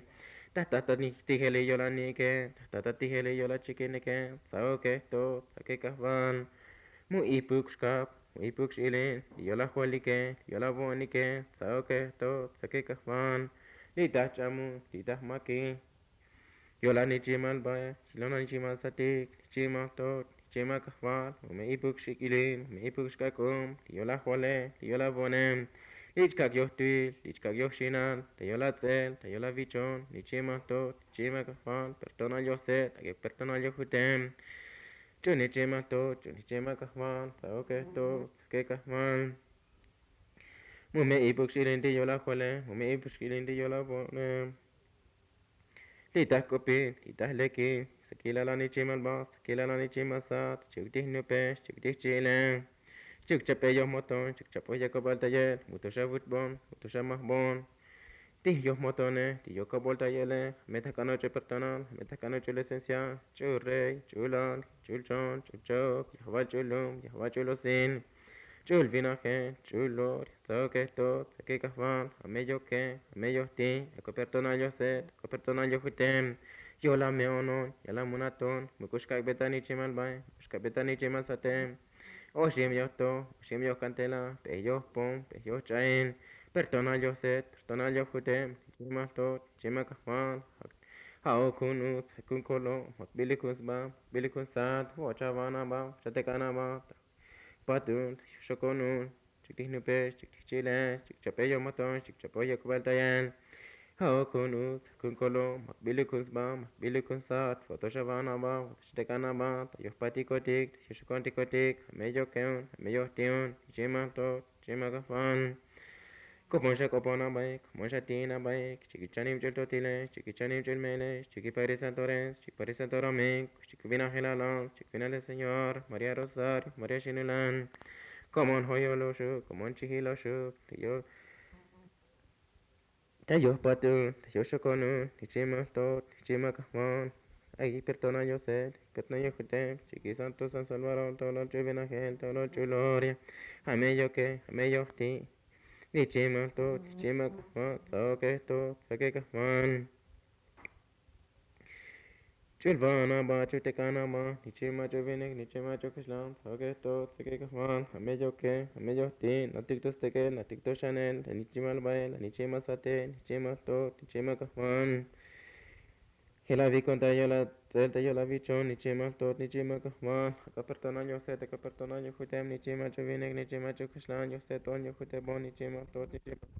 Ta jta ta tijel li yolanike, ta jta ta tijel li yolachikinike, tsa'oke to, tsa'oke kajval. Mu ipuk xkap, mu ipuk x'ilin, li yolajvalike, li yolavonike, tsa'oke to, tsa'oke kajval. Li ta jch'amuk, li ta jmakik. Yola nichimal bae, yola nichimal satik, nichimal tot, nichimal kajval, mu me ipuk xk'ilin, mu me ipuk xk'ak'um, li yola jole, li yola vonem, li chkak yoj twil, li chkak yoj xinal, ta yola ts'el, ta yola vichon, nichimal tot, nichimal kajval, perdonal yoj set, ak'e perdonal yoj jutem. Ch'uni chimal tot, ch'uni chimal kajval, tsa'oke tot, tsa'oke kajval. Mu me ipuk xk'ilin ti yola jole, mu me ipuk xk'ilin ti yola vonem. Li ta jk'opil, li ta jlekil, sakil ala nichimal ba, sakil ala nichimal sat, xchi'uk ti jnupe, xchi'uk ti jchi'ile. Xchi'uk chap'e yoj moton, xchi'uk chap'e yoj kaboltayel, mu to xavuch'bon, mu to xamajbon. Ti yoj motone, ti yoj kaboltayele, ja' me ta jk'an och'ul perdonal, ja' me ta jk'an och'ul licencia, ch'ul rey, ch'ul ángel, ch'ul chon, ch'ul cha'uk, yajval ch'ul lum, yajval ch'ul osil. Ch'ul vinajel, ch'ul lor, tsa'oke to, tsa'oke kajval, ja' me yoke, ja' me yojti, ak'o perdonal yoj set, ak'o perdonal yoj jutem. Yola me'onon, yola munaton, mu k'ux kak'be ta nichimal bae, mu k'ux kak'be ta nichimal satem. Oxim yoj to, oxim yoj kantela, p'ej yoj pom, p'ej yoj ch'ain. Perdonal yoj set, perdonal yoj jutem, nichimal tot, nichimal kajval. Ja'uk jun uts, ja'uk jun kolo, motbilik jun sba, motbilik jun sat, vo'och ava'an aba, vo'och atek'an aba. Patun, xokon un, xchi'uk ti jnupe, xchi'uk ti jchi'ile, xchi'uk chap'e yoj moton, xchi'uk chap'e yoj kaboltayel. Ja'o kun utz kun kolom makbiluk kun sba makbiluk kun sat fotoxaban aba fotoxtek'an aba ta yojpatikotik ta yoxokontikotik. Jameyok ke'on jameyoj ti'on nich'imal to nich'imal kajban. Komon xa k'opon abaik komon xa ti'in abaik chikichanib ch'ul totilex chikichanib ch'ul me'elex chikiparisan tores chikiparisan toromik chikubinajel alan chikubinajel señor maría rosario maría xinulan. Komon joyoloxuk komon chijiloxuk ta yo ta yojpatun ta yoxokonun nich'imal to nich'imal kajban. Ay perdona yose perdona yojutem chikisanto san salvador tolol ch'ul vinajel tolol ch'ul gloria. Jameyok ke jameyoj ti' nich'imal to nich'imal kajban tsaoke to tsaoke kajban. Ch'ulban aba ch'ultek'an aba nich'imal ch'ul vinik nich'imal ch'ul kaxlan tsaoke to tsaoke kajban jameyok ke jameyoj ti' natik to stek'el natik to xanel la nich'imal bael la nich'imal satel nich'imal to nich'imal kajban. Jela vikon ta yola ts'el ta yola vichon nich'imal to nich'imal kajban. Ak'a perdona yose ta ak'a perdona yojutem nich'imal ch'ul vinik nich'imal ch'ul kaxlan yose ton yojutem bon nich'imal to nich'imal